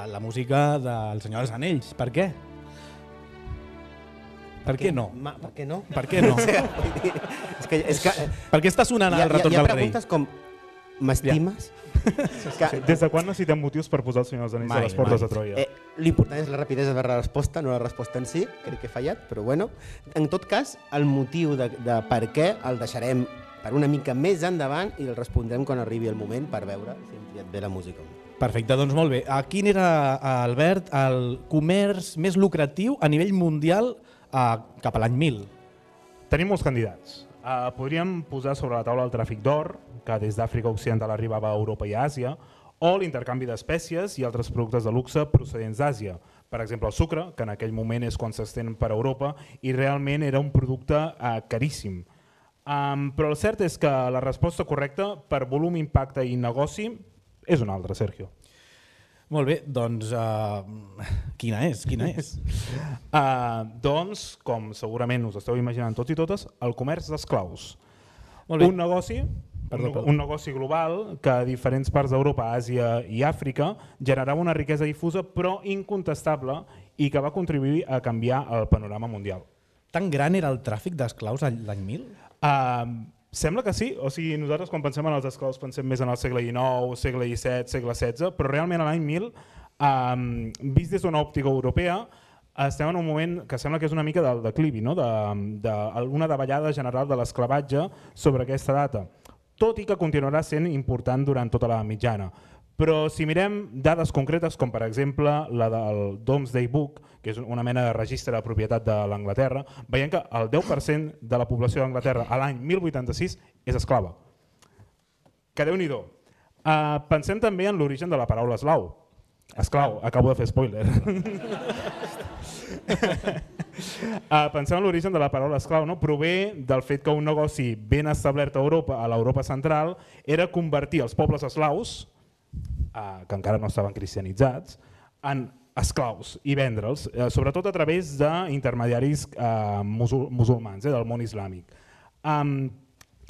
a la música del Senyor dels Anells. Per què? Per què no? Ma, per què no? Per què no? és que, és que, Per què està sonant el retorn hi ha del rei? preguntes com, m'estimes? Que... Des de quan necessitem motius per posar el Senyor dels Anells a les portes mai. de Troia? Eh, L'important és la rapidesa de la resposta, no la resposta en si, crec que he fallat, però bueno. En tot cas, el motiu de, de per què el deixarem per una mica més endavant i el respondrem quan arribi el moment per veure si hem triat bé la música. Perfecte, doncs molt bé. A quin era, Albert, el comerç més lucratiu a nivell mundial eh, cap a l'any mil? Tenim molts candidats. Uh, podríem posar sobre la taula el tràfic d'or, que des d'Àfrica Occidental arribava a Europa i a Àsia, o l'intercanvi d'espècies i altres productes de luxe procedents d'Àsia. Per exemple, el sucre, que en aquell moment és quan s'estén per Europa i realment era un producte uh, caríssim. Um, però el cert és que la resposta correcta per volum, impacte i negoci és una altra, Sergio. Molt bé, doncs uh, quina és? Quina és? uh, doncs, com segurament us esteu imaginant tots i totes, el comerç d'esclaus. Molt bé. Un negoci, Perdó, un, perdó. un negoci global que a diferents parts d'Europa, Àsia i Àfrica generava una riquesa difusa però incontestable i que va contribuir a canviar el panorama mundial. Tan gran era el tràfic d'esclaus l'any mil? Uh, sembla que sí, o sigui, nosaltres quan pensem en els esclaus pensem més en el segle dinou, segle disset, segle setze, però realment a l'any mil, um, vist des d'una òptica europea, estem en un moment que sembla que és una mica del declivi, no? d'una davallada general de l'esclavatge sobre aquesta data, tot i que continuarà sent important durant tota la mitjana. Però si mirem dades concretes, com per exemple la del Domesday Book, que és una mena de registre de propietat de l'Anglaterra, veiem que el deu per cent de la població d'Anglaterra a l'any mil vuitanta-sis és esclava. Que Déu-n'hi-do. Uh, pensem també en l'origen de la paraula eslau. Esclau, acabo de fer spoiler. uh, pensem en l'origen de la paraula esclau. No? Prové del fet que un negoci ben establert a Europa, a l'Europa central, era convertir els pobles eslaus, uh, que encara no estaven cristianitzats, en esclaus i vendre'ls, uh, sobretot a través d'intermediaris uh, musul musulmans, eh, del món islàmic. Um,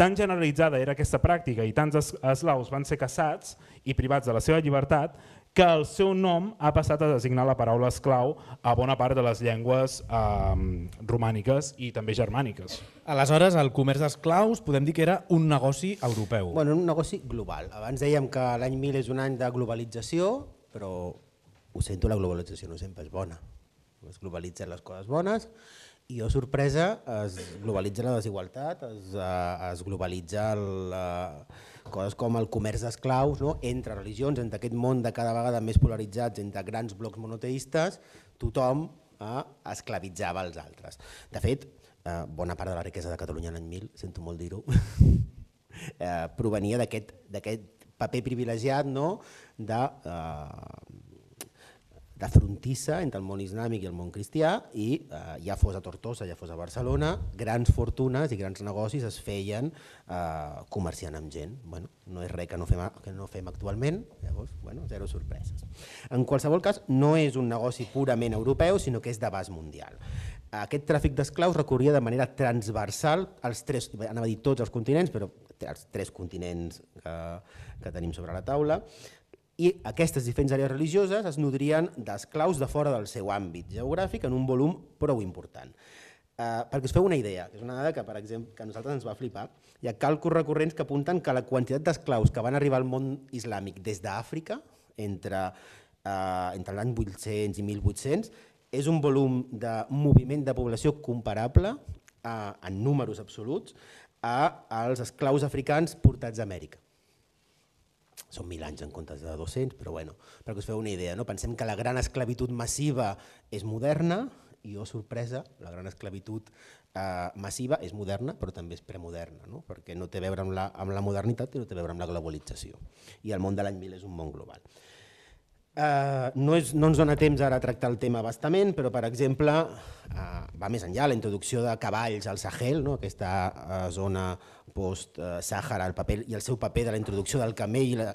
Tan generalitzada era aquesta pràctica i tants eslaus van ser caçats i privats de la seva llibertat que el seu nom ha passat a designar la paraula esclau a bona part de les llengües eh, romàniques i també germàniques. Aleshores, el comerç d'esclaus podem dir que era un negoci europeu. Bueno, un negoci global. Abans dèiem que l'any mil és un any de globalització, però ho sento, la globalització no sempre és bona. Es globalitzen les coses bones, i, oh sorpresa, es globalitza la desigualtat, es, es globalitza el, coses com el comerç d'esclaus, no? Entre religions, entre aquest món de cada vegada més polaritzats, entre grans blocs monoteistes, tothom eh, esclavitzava els altres. De fet, eh, bona part de la riquesa de Catalunya l'any mil, sento molt dir-ho, eh, provenia d'aquest paper privilegiat, no? de... Eh, de frontissa entre el món islàmic i el món cristià i eh, ja fos a Tortosa, ja fos a Barcelona, grans fortunes i grans negocis es feien eh, comerciant amb gent. Bueno, no és res que no fem, que no fem actualment, llavors, bueno, zero sorpreses. En qualsevol cas, no és un negoci purament europeu, sinó que és d'abast mundial. Aquest tràfic d'esclaus recorria de manera transversal als tres, anava a dir tots els continents, però els tres continents que, que tenim sobre la taula, i aquestes diferents àrees religioses es nodrien d'esclaus de fora del seu àmbit geogràfic en un volum prou important. Eh, perquè us feu una idea, que és una dada que, per exemple, que a nosaltres ens va flipar, hi ha càlculs recurrents que apunten que la quantitat d'esclaus que van arribar al món islàmic des d'Àfrica, entre, eh, entre l'any vuit-cents i mil vuit-cents, és un volum de moviment de població comparable eh, en números absoluts als esclaus africans portats a Amèrica. Són mil anys en comptes de dos-cents, però bueno, perquè us feu una idea, no? Pensem que la gran esclavitud massiva és moderna i, oh sorpresa, la gran esclavitud eh, massiva és moderna, però també és premoderna, no? Perquè no té a veure amb la, amb la modernitat i no té a veure amb la globalització. I el món de l'any mil és un món global. Eh, no, és, no ens dona temps ara a tractar el tema bastament, però per exemple eh, va més enllà la introducció de cavalls al Sahel, no? Aquesta eh, zona post-Sàhara, el paper i el seu paper de la introducció del camell, la,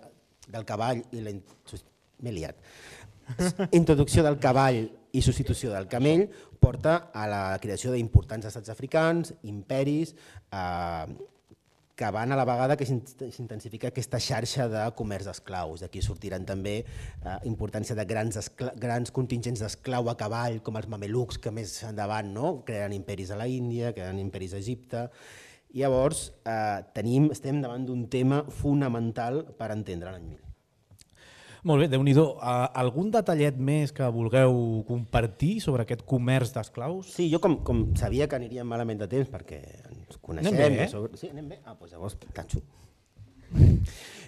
del cavall i la m'he liat. Introducció del cavall i substitució del camell porta a la creació d'importants estats africans, imperis, eh, que van a la vegada que s'intensifica aquesta xarxa de comerç d'esclaus. D'aquí sortiran també eh, importància de grans, grans contingents d'esclau a cavall, com els mamelucs, que més endavant no? Creen imperis a la Índia, creen imperis a Egipte. I llavors eh, tenim, estem davant d'un tema fonamental per entendre l'any mil. Molt bé, Déu-n'hi-do. Algun detallet més que vulgueu compartir sobre aquest comerç d'esclaus? Sí, jo com, com sabia que aniríem malament de temps perquè ens coneixem... Anem bé, eh? Sobre... Sí, anem bé? Ah, doncs llavors tanxo.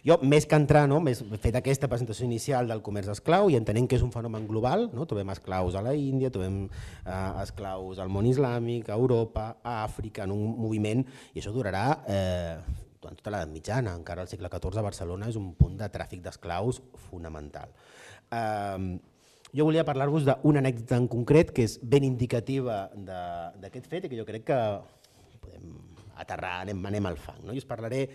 Jo, més que entrar, no, més fet aquesta presentació inicial del comerç d'esclau i entenent que és un fenomen global, no? Trobem esclaus a la Índia, trobem eh, esclaus al món islàmic, a Europa, a Àfrica, en un moviment, i això durarà eh, durant tota l'edat mitjana, encara al segle catorze a Barcelona és un punt de tràfic d'esclaus fonamental. Eh, jo volia parlar-vos d'una anècdota en concret que és ben indicativa d'aquest fet i que jo crec que podem aterrar, anem, anem al fang. No? Jo us parlaré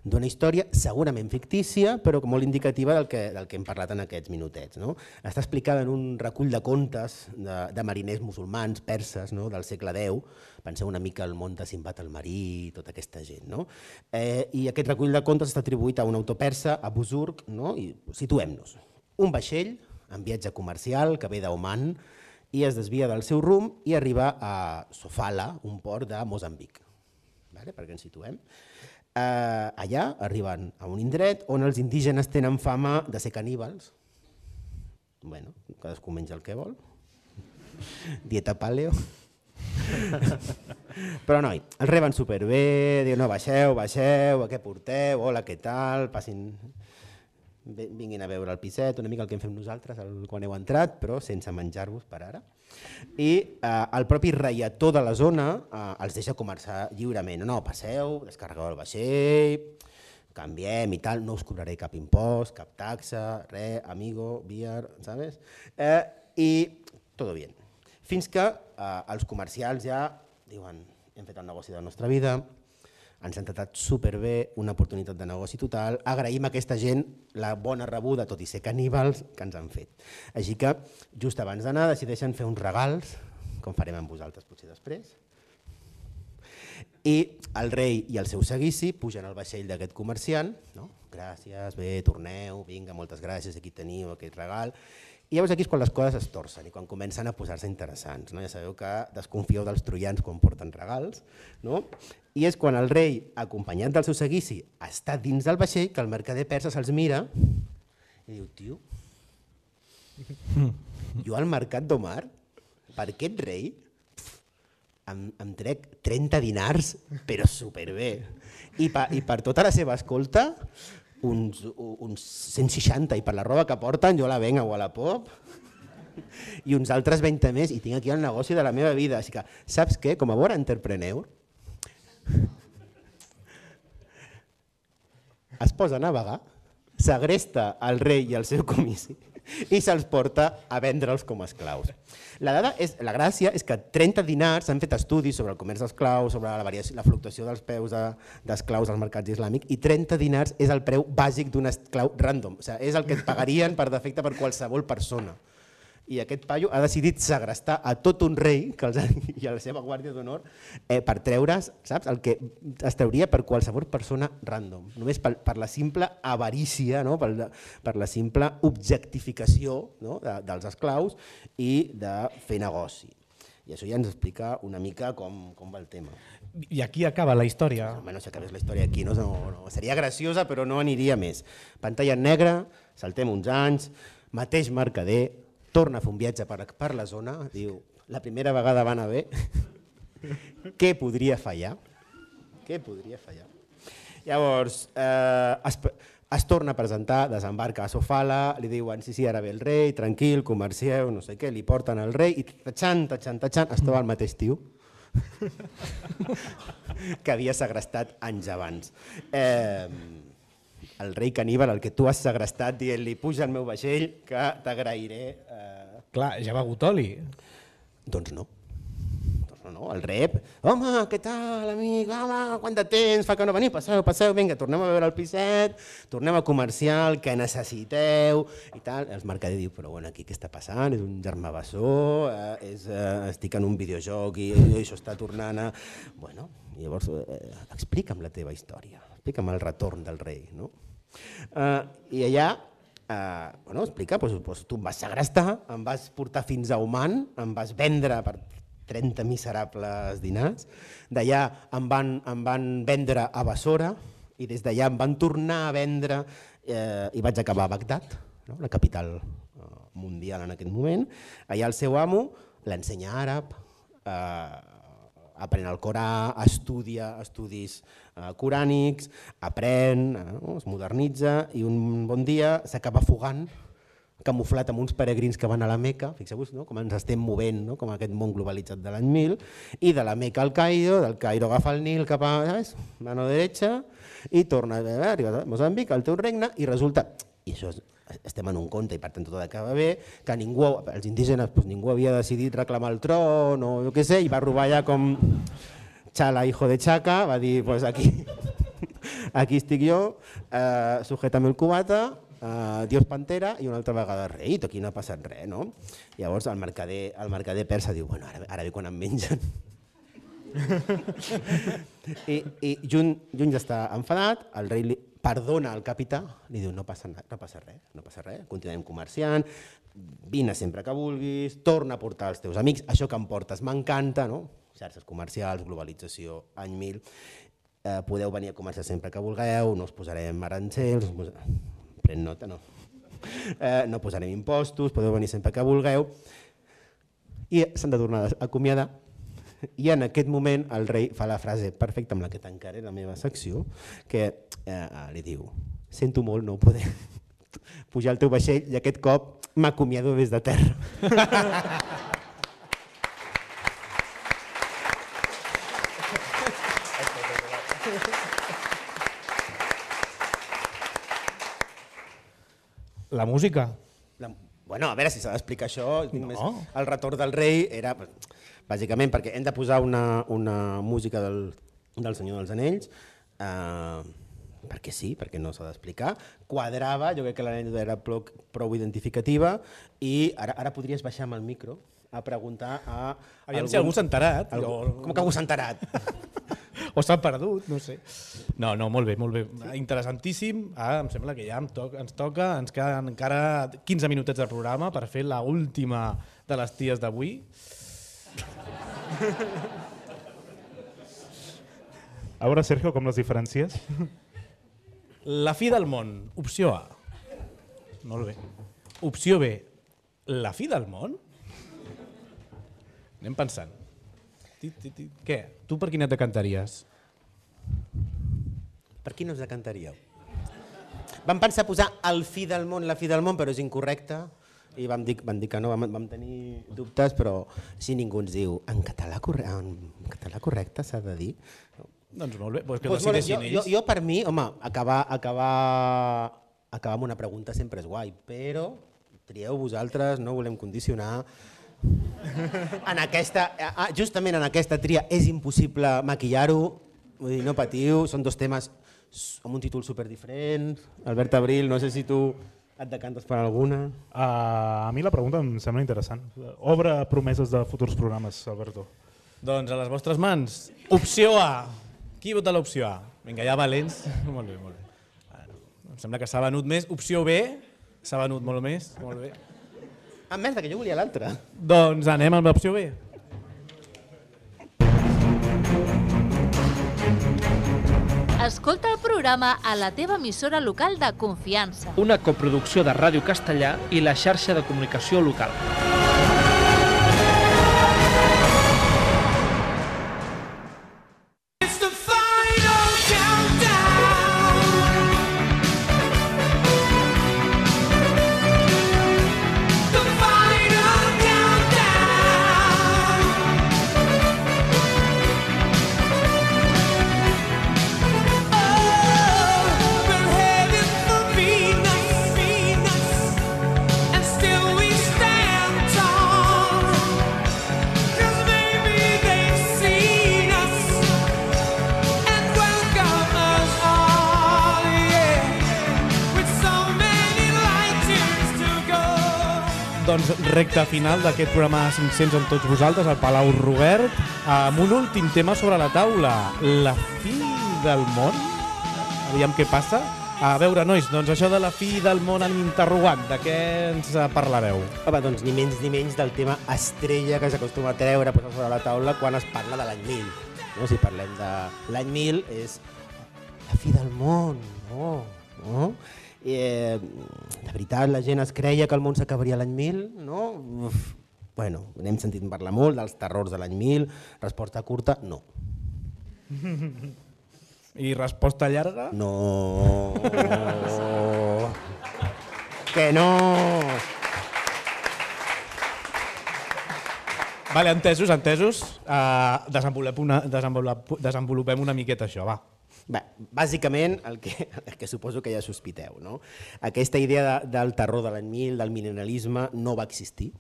d'una història segurament fictícia, però molt indicativa del que, del que hem parlat en aquests minutets. No? Està explicada en un recull de contes de, de mariners musulmans, perses, no? Del segle deu. Penseu una mica al món de Simbad el marí i tota aquesta gent. No? Eh, I aquest recull de contes està atribuït a un autor persa, a Buzurg, no? I situem-nos. Un vaixell en viatge comercial que ve d'Oman i es desvia del seu rumb i arriba a Sofala, un port de Moçambic. Vale? Perquè ens situem. Uh, allà arriben a un indret on els indígenes tenen fama de ser caníbals. Bueno, cadascú menja el que vol. Dieta paleo. Però noi, els reben superbé, diuen no, baixeu, baixeu, què porteu, hola, què tal, passin, vinguin a veure el piset, una mica el que hem fet nosaltres quan heu entrat, però sense menjar-vos per ara. I eh, el propi reietó de la zona eh, els deixa començar lliurement. No, passeu, descarregueu el vaixell, canviem i tal, no us cobraré cap impost, cap taxa, res, amigo, beer, ¿sabes? Eh, I tot bien. Fins que eh, els comercials ja diuen hem fet el negoci de la nostra vida, ens han tratat superbé, una oportunitat de negoci total, agraïm a aquesta gent la bona rebuda, tot i ser caníbals, que ens han fet. Així que, just abans d'anar, decideixen fer uns regals, com farem amb vosaltres potser després, i el rei i el seu seguici pugen al vaixell d'aquest comerciant, no? Gràcies, bé, torneu, vinga, moltes gràcies, aquí teniu aquest regal. I llavors aquí és quan les coses es torcen i quan comencen a posar-se interessants. No? Ja sabeu que desconfieu dels troians quan porten regals. No? I és quan el rei, acompanyat del seu seguici, està dins del vaixell que el mercader persa se'ls mira i diu, tio, jo al mercat d'Omar, per aquest rei, em, em trec trenta dinars, però superbé. I, pa, i per tota la seva escolta, uns, uns cent seixanta, i per la roba que porten jo la venc a Wallapop i uns altres vint més i tinc aquí el negoci de la meva vida. Així que, saps què? Com a bon entrepreneur es posa a navegar, segresta el rei i el seu comissi i se'ls porta a vendre'ls com a esclaus. La, dada és, la gràcia és que trenta dinars s'han fet estudis sobre el comerç d'esclaus, sobre la, variació, la fluctuació dels peus d'esclaus als mercats islàmics, i trenta dinars és el preu bàsic d'un esclau random, o sigui, és el que et pagarien per defecte per qualsevol persona. I aquest paio ha decidit segrestar a tot un rei que els ha, i a la seva guàrdia d'honor eh, per treure's, saps, el que es trauria per qualsevol persona random, només per, per la simple avarícia, no? per, per la simple objectificació, no? de, dels esclaus i de fer negoci. I això ja ens explica una mica com, com va el tema. I aquí acaba la història. Bueno, si acabés la història aquí, no, no, no, seria graciosa però no aniria més. Pantalla en negre, saltem uns anys, mateix mercader, torna a fer un viatge per, per la zona, diu, la primera vegada va anar bé, què podria fallar? Què podria fallar? Llavors, eh, es, es torna a presentar, desembarca a Sofala, li diuen, sí, sí, ara ve el rei, tranquil, comercieu, no sé què, li porten el rei i tatxant, tatxant, tatxant, es troba el mateix tio que havia segrestat anys abans. Eh, el rei caníbal, el que tu has segrestat, dient-li, puja al meu vaixell que t'agrairé. Eh... Clar, ja ha begut oli. Doncs no. Doncs no, no. El rep, home, què tal, amic, home, quant de temps, fa que no veniu, passeu, passeu, vinga, tornem a veure el piset, tornem a comercial, què necessiteu, i tal. El mercader diu, però bueno, aquí què està passant? És un germà bessó, eh, és, eh, estic en un videojoc i, i això està tornant a... Bueno, llavors, eh, explica'm la teva història, explica'm el retorn del rei, no? Uh, I allà, uh, bueno, explica, doncs, doncs, tu em vas segrestar, em vas portar fins a Oman, em vas vendre per trenta miserables dinars, d'allà em, van, em van vendre a Bassora i des d'allà em van tornar a vendre eh, i vaig acabar a Bagdad, no? La capital uh, mundial en aquest moment. Allà el seu amo l'ensenya àrab, eh, aprèn el Corà, estudia estudis eh, corànics, aprèn, eh, no? Es modernitza i un bon dia s'acaba fugant, camuflat amb uns peregrins que van a la Meca, fixeu-vos, no? Com ens estem movent, no? Com aquest món globalitzat de l'any mil, i de la Meca al Cairo, del Cairo agafa el Nil cap a, ¿sabes? Mano derecha, i torna a arribar a Moçambic, al teu regne, i resulta, i això és, estem en un conte i per tant tot acaba bé, que ningú, els indígenes, doncs ningú havia decidit reclamar el tron o jo què sé, i va robar ja com Chala, hijo de Chaca, va dir, pues aquí, aquí estic jo, eh, sujétame el cubata, eh, Dios Pantera i una altra vegada rei, aquí no ha passat res, no? Llavors el mercader, el mercader persa diu, bueno, ara, ara ve quan em mengen. I, i Jun, Jun ja està enfadat, el rei li perdona el capità, li diu no passa, no passa res, no passa res, continuem comerciant, vine sempre que vulguis, torna a portar els teus amics, això que em portes m'encanta, no? Xarxes comercials, globalització, any mil, eh, podeu venir a comerciar sempre que vulgueu, no us posarem arancels, us posarem... pren nota, no, eh, no posarem impostos, podeu venir sempre que vulgueu. I s'han de tornar a acomiadar i en aquest moment el rei fa la frase perfecta amb la que tancaré la meva secció, que eh, li diu: sento molt no poder pujar al teu vaixell i aquest cop m'acomiado des de terra. La música. La, bueno, a veure si s'ha d'explicar això. No. Més, el retorn del rei era, bàsicament, perquè hem de posar una, una música del, del Senyor dels Anells, eh, perquè sí, perquè no s'ha d'explicar. Quadrava, jo crec que l'anècdota era prou, prou identificativa, i ara, ara podries baixar amb el micro a preguntar a... Aviam algun, si algú s'ha enterat. Algú, jo... Com que algú s'ha enterat? O s'ha perdut, no sé. No, no, molt bé, molt bé. Interessantíssim. Ah, em sembla que ja em to ens toca, ens queden encara quinze minutets de programa per fer la última de les ties d'avui. A veure, Sergio, com les diferències? La fi del món, opció A. Molt bé. Opció B, la fi del món? Anem pensant. Què? Tu per quina et decantaries? Per quina us decantaríeu? Vam pensar posar el fi del món, la fi del món, però és incorrecte. I vam dir, vam dir que no, vam, vam tenir dubtes, però si ningú ens diu en català, corre en català correcte s'ha de dir. Doncs molt bé, doncs que pues decideixin jo, ells. Jo, jo per mi, home, acabar, acabar, acabar amb una pregunta sempre és guai, però trieu vosaltres, no volem condicionar. En aquesta, justament en aquesta tria és impossible maquillar-ho, vull dir, no patiu, són dos temes amb un títol superdiferent. Albert Abril, no sé si tu et decantes per alguna. Uh, a mi la pregunta em sembla interessant. Obre promeses de futurs programes, Alberto. Doncs a les vostres mans. Opció A. Qui vota l'opció A? Vinga, ja valents. Molt bé, molt bé. Bueno, em sembla que s'ha venut més. Opció B. S'ha venut molt més. Molt bé. Ah, merda, que jo volia l'altra. Doncs anem amb l'opció B. Escolta el programa a la teva emissora local de confiança. Una coproducció de Ràdio Castellà i la xarxa de comunicació local. Doncs recta final d'aquest programa cinc-cents amb tots vosaltres, al Palau Robert, amb un últim tema sobre la taula, la fi del món. Aviam què passa. A veure, nois, doncs això de la fi del món en interrogant, de què ens parlareu? Home, doncs ni menys ni menys del tema estrella que s'acostuma a treure, posar sobre la taula quan es parla de l'any mil. No? Si parlem de l'any mil és la fi del món, no? no? Eh, de veritat, la gent es creia que el món s'acabaria l'any mil, no? Uf. Bueno, n'hem sentit parlar molt dels terrors de l'any mil, resposta curta, no. I resposta llarga? No. Que no. Vale, entesos, entesos. Uh, desenvolupem, una, desenvolupem, desenvolupem una miqueta això, va. Bé, bàsicament, el que, el que suposo que ja sospiteu, no? Aquesta idea de, del terror de l'any mil, del mil·lennialisme, no va existir.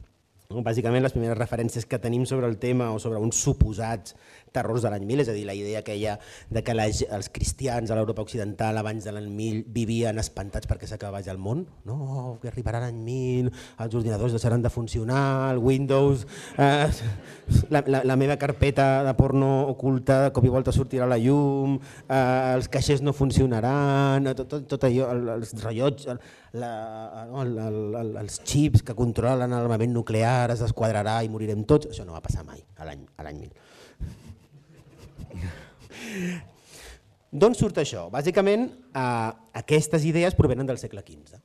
No? Bàsicament, les primeres referències que tenim sobre el tema o sobre uns suposats terrors de l'any mil, és a dir, la idea que hi ha de que les, els cristians a l'Europa occidental abans de l'any mil vivien espantats perquè s'acabés el món, no, que arribarà l'any mil, els ordinadors deixaran de funcionar, el Windows, eh, la, la, la meva carpeta de porno oculta de cop i volta sortirà a la llum, eh, els caixers no funcionaran, tot, tot, tot allò, els rellotges, la, el, el, el, els xips que controlen l'armament nuclear es desquadrarà i morirem tots, això no va passar mai a l'any mil. D'on surt això? Bàsicament, eh, aquestes idees provenen del segle quinze.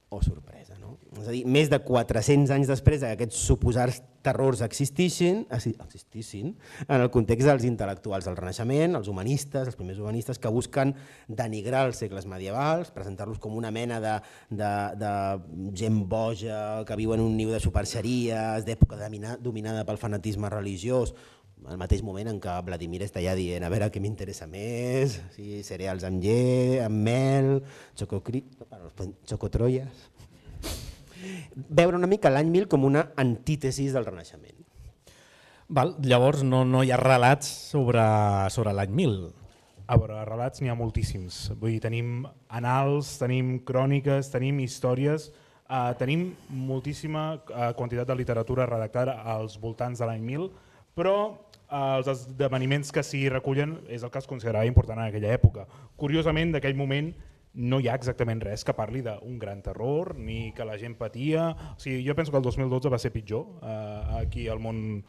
o sorpresa. No? És a dir, més de quatre-cents anys després que aquests suposats terrors existissin, existissin en el context dels intel·lectuals del Renaixement, els humanistes, els primers humanistes que busquen denigrar els segles medievals, presentar-los com una mena de, de, de gent boja que viu en un niu de superxeries, d'època dominada pel fanatisme religiós, al mateix moment en què Vladimir està ja dient a veure què m'interessa més, si cereals amb llet, amb mel, xocotroies... Veure una mica l'any mil com una antítesis del Renaixement. Val, llavors no, no hi ha relats sobre, sobre l'any mil. A veure, relats n'hi ha moltíssims. Vull dir, tenim annals, tenim cròniques, tenim històries, eh, tenim moltíssima eh, quantitat de literatura redactada als voltants de l'any mil, però eh, els esdeveniments que s'hi recullen és el que es considerava important en aquella època. Curiosament, d'aquell moment no hi ha exactament res que parli d'un gran terror, ni que la gent patia. O sigui, jo penso que el dos mil dotze va ser pitjor eh, aquí al món,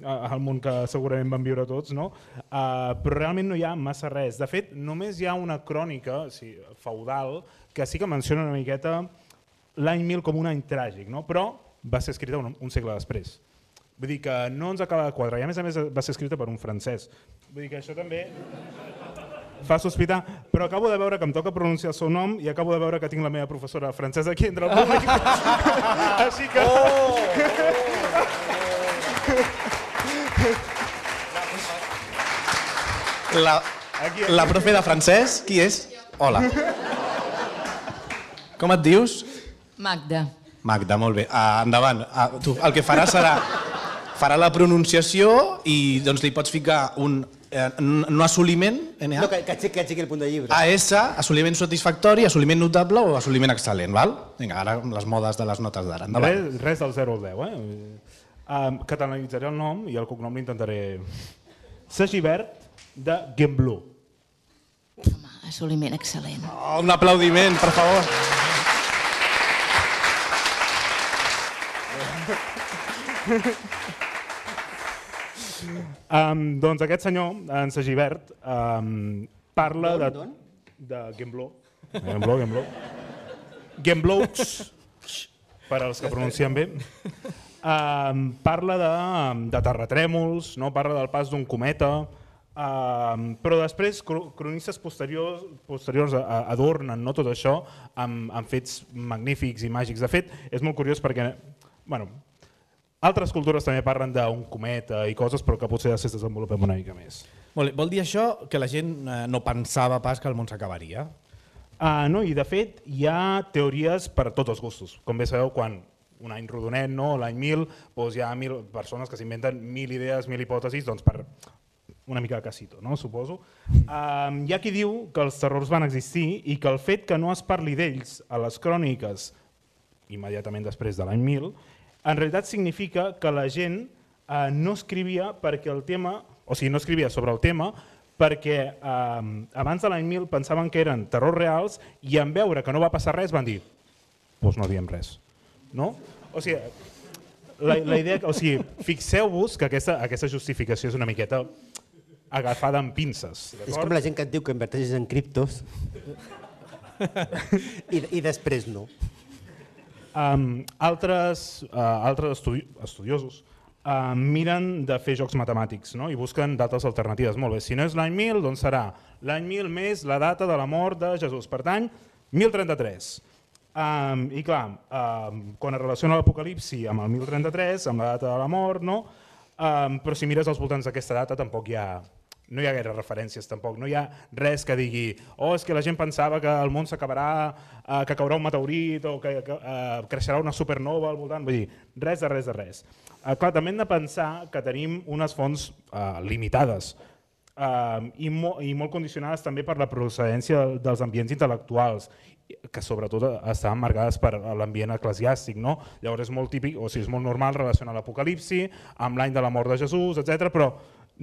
al món que segurament van viure tots, no? Uh, però realment no hi ha massa res. De fet, només hi ha una crònica, o sigui, feudal que sí que menciona una miqueta l'any mil com un any tràgic, no? Però va ser escrita un, un segle després. Vull dir que no ens acaba de quadrar i a més a més va ser escrita per un francès. Vull dir que això també fa sospitar, però acabo de veure que em toca pronunciar el seu nom i acabo de veure que tinc la meva professora francesa aquí entre el públic. Així que... Oh, oh. La, la profe de francès, qui és? Hola. Com et dius? Magda. Magda, molt bé. Uh, endavant. Uh, tu, el que farà serà farà la pronunciació i doncs, li pots ficar un eh, no assoliment, N A? No, que, que, aixequi, que aixequi el punt de llibre. A S, assoliment satisfactori, assoliment notable o assoliment excel·lent, val? Vinga, ara les modes de les notes d'ara. Res, res del zero al deu, eh? Um, catalanitzaré el nom i el cognom l'intentaré... Sagibert de Gembloux. Home, assoliment excel·lent. Oh, un aplaudiment, per favor. Um, doncs aquest senyor, en Sagibert, um, parla de... de Gembloux. Gembloux, Gembloux. Gembloux, per als que pronuncien bé. Um, parla de, de terratrèmols, no? Parla del pas d'un cometa, um, però després cronistes posteriors, posteriors adornen, no, tot això amb, amb fets magnífics i màgics. De fet, és molt curiós perquè... Bueno, altres cultures també parlen d'un cometa i coses, però que potser ja es desenvolupem una mica més. Vol, vol dir això que la gent no pensava pas que el món s'acabaria? Uh, no, i de fet hi ha teories per a tots els gustos. Com bé sabeu, quan un any rodonet, no, l'any mil, doncs hi ha mil persones que s'inventen mil idees, mil hipòtesis, doncs per una mica de casito, no, suposo. Uh, hi ha qui diu que els terrors van existir i que el fet que no es parli d'ells a les cròniques immediatament després de l'any mil, en realitat significa que la gent eh, no escrivia perquè el tema, o sigui, no escrivia sobre el tema perquè eh, abans de l'any mil pensaven que eren terrors reals i en veure que no va passar res van dir, doncs no diem res. No? O sigui, la, la idea, o sigui, fixeu-vos que aquesta, aquesta justificació és una miqueta agafada amb pinces. És com la gent que et diu que inverteixes en criptos i, i després no. Um, altres uh, altres estudi estudiosos uh, miren de fer jocs matemàtics, no? I busquen dates alternatives. Molt bé, si no és l'any mil, doncs serà l'any mil més la data de la mort de Jesús. Per tant, mil trenta-tres. Um, I clar, um, quan es relaciona l'Apocalipsi amb el mil trenta-tres, amb la data de la mort, no? Um, però si mires als voltants d'aquesta data tampoc hi ha... No hi ha gaire referències tampoc, no hi ha res que digui oh, és que la gent pensava que el món s'acabarà, eh, que caurà un meteorit o que, que eh, creixerà una supernova al voltant, vull dir, res de res de res. Eh, clar, també hem de pensar que tenim unes fonts eh, limitades eh, i, mo i molt condicionades també per la procedència dels ambients intel·lectuals, que sobretot estaven marcades per l'ambient eclesiàstic, no? Llavors és molt típic, o sigui, és molt normal relacionar l'Apocalipsi amb l'any de la mort de Jesús, etcètera, però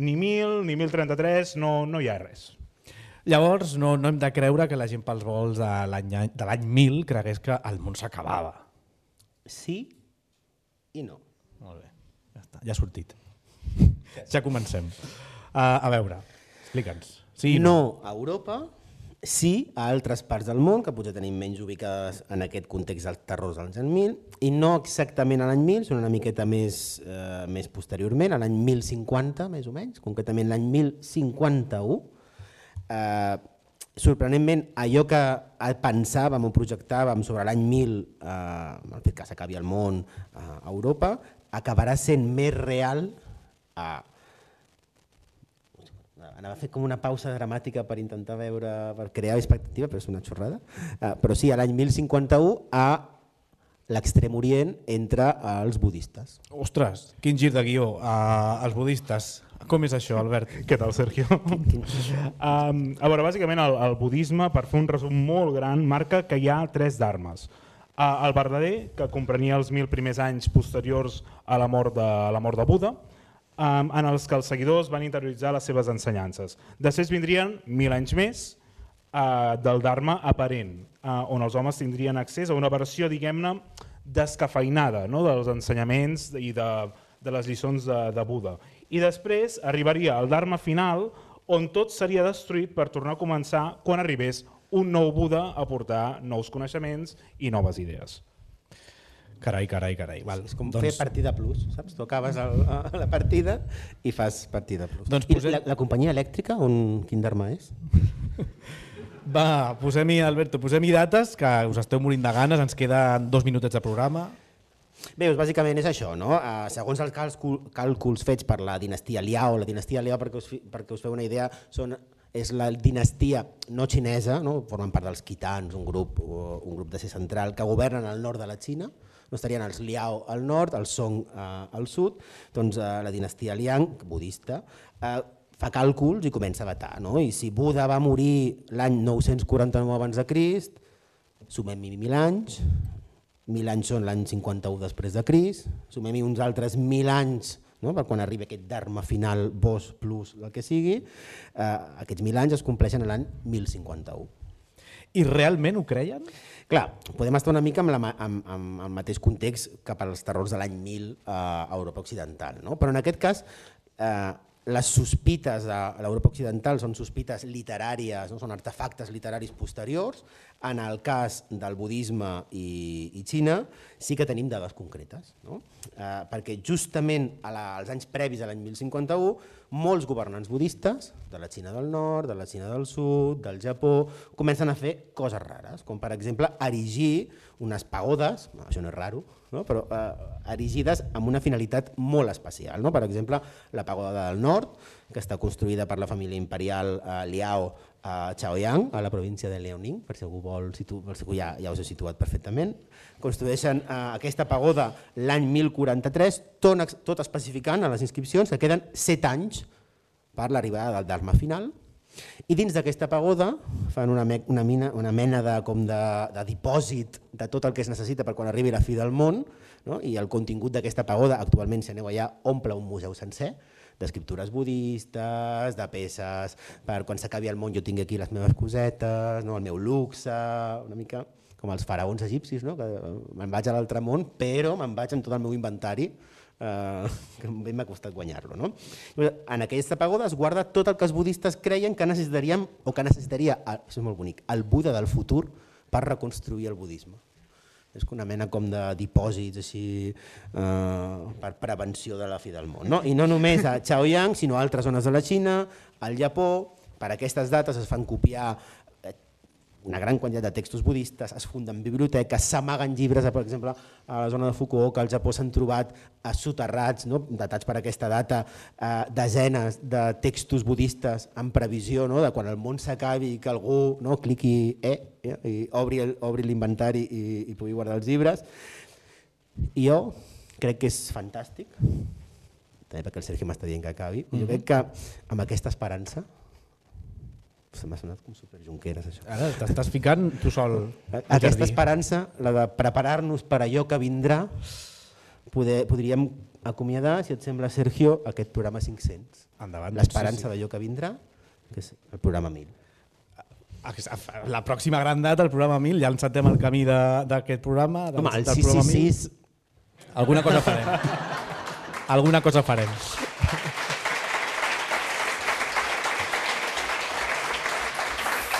ni mil, ni mil trenta-tres, no, no hi ha res. Llavors no, no hem de creure que la gent pels vols de l'any mil cregués que el món s'acabava. Sí i no. Molt bé, ja està, ja ha sortit. Ja comencem. Uh, a veure, explica'ns. Sí, no. No a Europa sí a altres parts del món, que potser tenim menys ubicades en aquest context dels terrors dels anys mil, i no exactament a l'any mil, són una miqueta més, eh, més posteriorment, a l'any mil cinquanta, més o menys, concretament l'any mil cinquanta-u. Eh, sorprenentment, allò que pensàvem o projectàvem sobre l'any mil, eh, el fet que s'acabi el món a Europa, acabarà sent més real a... Anava a fer com una pausa dramàtica per intentar veure, per crear expectativa, però és una xorrada. Uh, però sí, a l'any mil cinquanta-u a l'extrem orient entre els budistes. Ostres, quin gir de guió, uh, els budistes. Com és això, Albert? Què tal, Sergio? um, a veure, bàsicament el, el budisme, per fer un resum molt gran, marca que hi ha tres dharmes. Uh, el verdader, que comprenia els mil primers anys posteriors a la mort de, a la mort de Buda, Um, en els que els seguidors van interioritzar les seves ensenyances. Després vindrien mil anys més uh, del Dharma aparent, uh, on els homes tindrien accés a una versió, diguem-ne, descafeinada, no?, dels ensenyaments i de, de les lliçons de, de Buda. I després arribaria el Dharma final, on tot seria destruït per tornar a començar quan arribés un nou Buda a portar nous coneixements i noves idees. Carai, carai, carai. Val. És com doncs... fer partida plus, saps? Tu acabes el, la partida i fas partida plus. Doncs posem... posem... I la, la companyia elèctrica, on, quin dharma és? Va, posem-hi, Alberto, posem-hi dates, que us esteu morint de ganes, ens queden dos minutets de programa. Bé, doncs bàsicament és això, no? Uh, segons els càlculs fets per la dinastia Liao, la dinastia Liao, perquè us, perquè us feu una idea, són, és la dinastia no xinesa, no? Formen part dels Khitans, un grup, un grup de ser central, que governen al nord de la Xina. No estarien els Liao al nord, els Song eh, al sud, doncs eh, la dinastia Liang, budista, eh, fa càlculs i comença a datar. No? I si Buda va morir l'any nou-cents quaranta-nou abans de Crist, sumem-hi mil anys, mil anys són l'any cinquanta-u després de Crist, sumem-hi uns altres mil anys, no? Per quan arribi aquest dharma final, Vos plus el que sigui, eh, aquests mil anys es compleixen l'any mil cinquanta-u. I realment ho creien? Clar, podem estar una mica amb, la, amb, amb el mateix context que per als terrors de l'any mil eh, a Europa Occidental, no? Però en aquest cas eh, les sospites de l'Europa Occidental són sospites literàries, no? Són artefactes literaris posteriors. En el cas del budisme i, i Xina sí que tenim dades concretes, no? Eh, perquè justament a la, als anys previs a l'any mil cinquanta-u molts governants budistes de la Xina del nord, de la Xina del sud, del Japó, comencen a fer coses rares, com per exemple erigir unes pagodes, no, això no és raro, no? Però eh, erigides amb una finalitat molt especial. No? Per exemple, la pagoda del nord, que està construïda per la família imperial eh, Liao a Chaoyang, a la província de Liaoning, per si algú vol, situ... per si algú ja, ja us he situat perfectament. Construeixen eh, aquesta pagoda l'any mil quaranta-tres, tot, tot especificant a les inscripcions que queden set anys per l'arribada del Dharma final. I dins d'aquesta pagoda fan una, me una, mina, una mena de, com de, de dipòsit de tot el que es necessita per quan arribi la fi del món, no? I el contingut d'aquesta pagoda, actualment si aneu allà, omple un museu sencer, d'escriptures budistes, de peces, per quan s'acabi el món jo tinc aquí les meves cosetes, no? El meu luxe, una mica com els faraons egipcis, no? Que me'n vaig a l'altre món, però me'n vaig amb tot el meu inventari, Uh, que bé m'ha costat guanyar-lo. No? En aquesta pagoda es guarda tot el que els budistes creien que necessitaríem, o que necessitaria, això és molt bonic, el Buda del futur per reconstruir el budisme. És una mena com de dipòsits així, uh, per prevenció de la fi del món. No? I no només a Chaoyang, sinó a altres zones de la Xina, al Japó. Per aquestes dates es fan copiar una gran quantitat de textos budistes, es funden biblioteques, s'amaguen llibres, per exemple, a la zona de Fukuoka, al Japó s'han trobat soterrats, no? Datats per aquesta data, eh, desenes de textos budistes en previsió, no? De quan el món s'acabi i que algú, no? Cliqui eh, eh, i obri l'inventari i, i pugui guardar els llibres. I jo crec que és fantàstic, també perquè el Sergi m'està dient que acabi, jo crec que amb aquesta esperança, se m'ha sonat com super Junqueras, això. Ara t'estàs ficant tu sol. Aquesta esperança, la de preparar-nos per allò que vindrà, poder, podríem acomiadar, si et sembla, Sergio, aquest programa cinc-cents. Endavant. L'esperança sí, sí. d'allò que vindrà, que és el programa mil. La pròxima gran data, el programa mil, ja encetem el camí d'aquest programa. Del, Home, el del sis sis sis... Alguna cosa farem. Alguna cosa farem.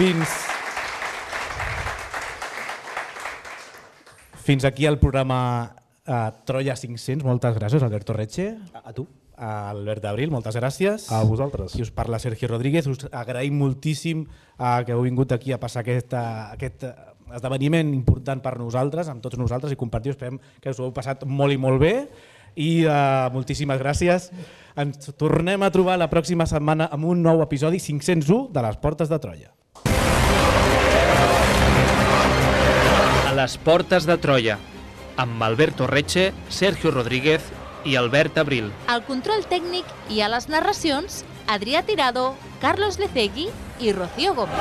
Fins Fins aquí el programa uh, Troia cinc-cents. Moltes gràcies, Alberto Reche. A, a tu. A Albert Abril, moltes gràcies. A vosaltres. I us parla Sergio Rodríguez. Us agraïm moltíssim uh, que heu vingut aquí a passar aquest, uh, aquest esdeveniment important per nosaltres, amb tots nosaltres, i compartir. Esperem que us ho heu passat molt i molt bé. I uh, moltíssimes gràcies. Ens tornem a trobar la pròxima setmana amb un nou episodi cinc-cents u de les Portes de Troia. A les Portes de Troia, amb Alberto Reche, Sergio Rodríguez i Albert Abril. Al control tècnic i a les narracions, Adrià Tirado, Carlos Lecegui i Rocío Gómez.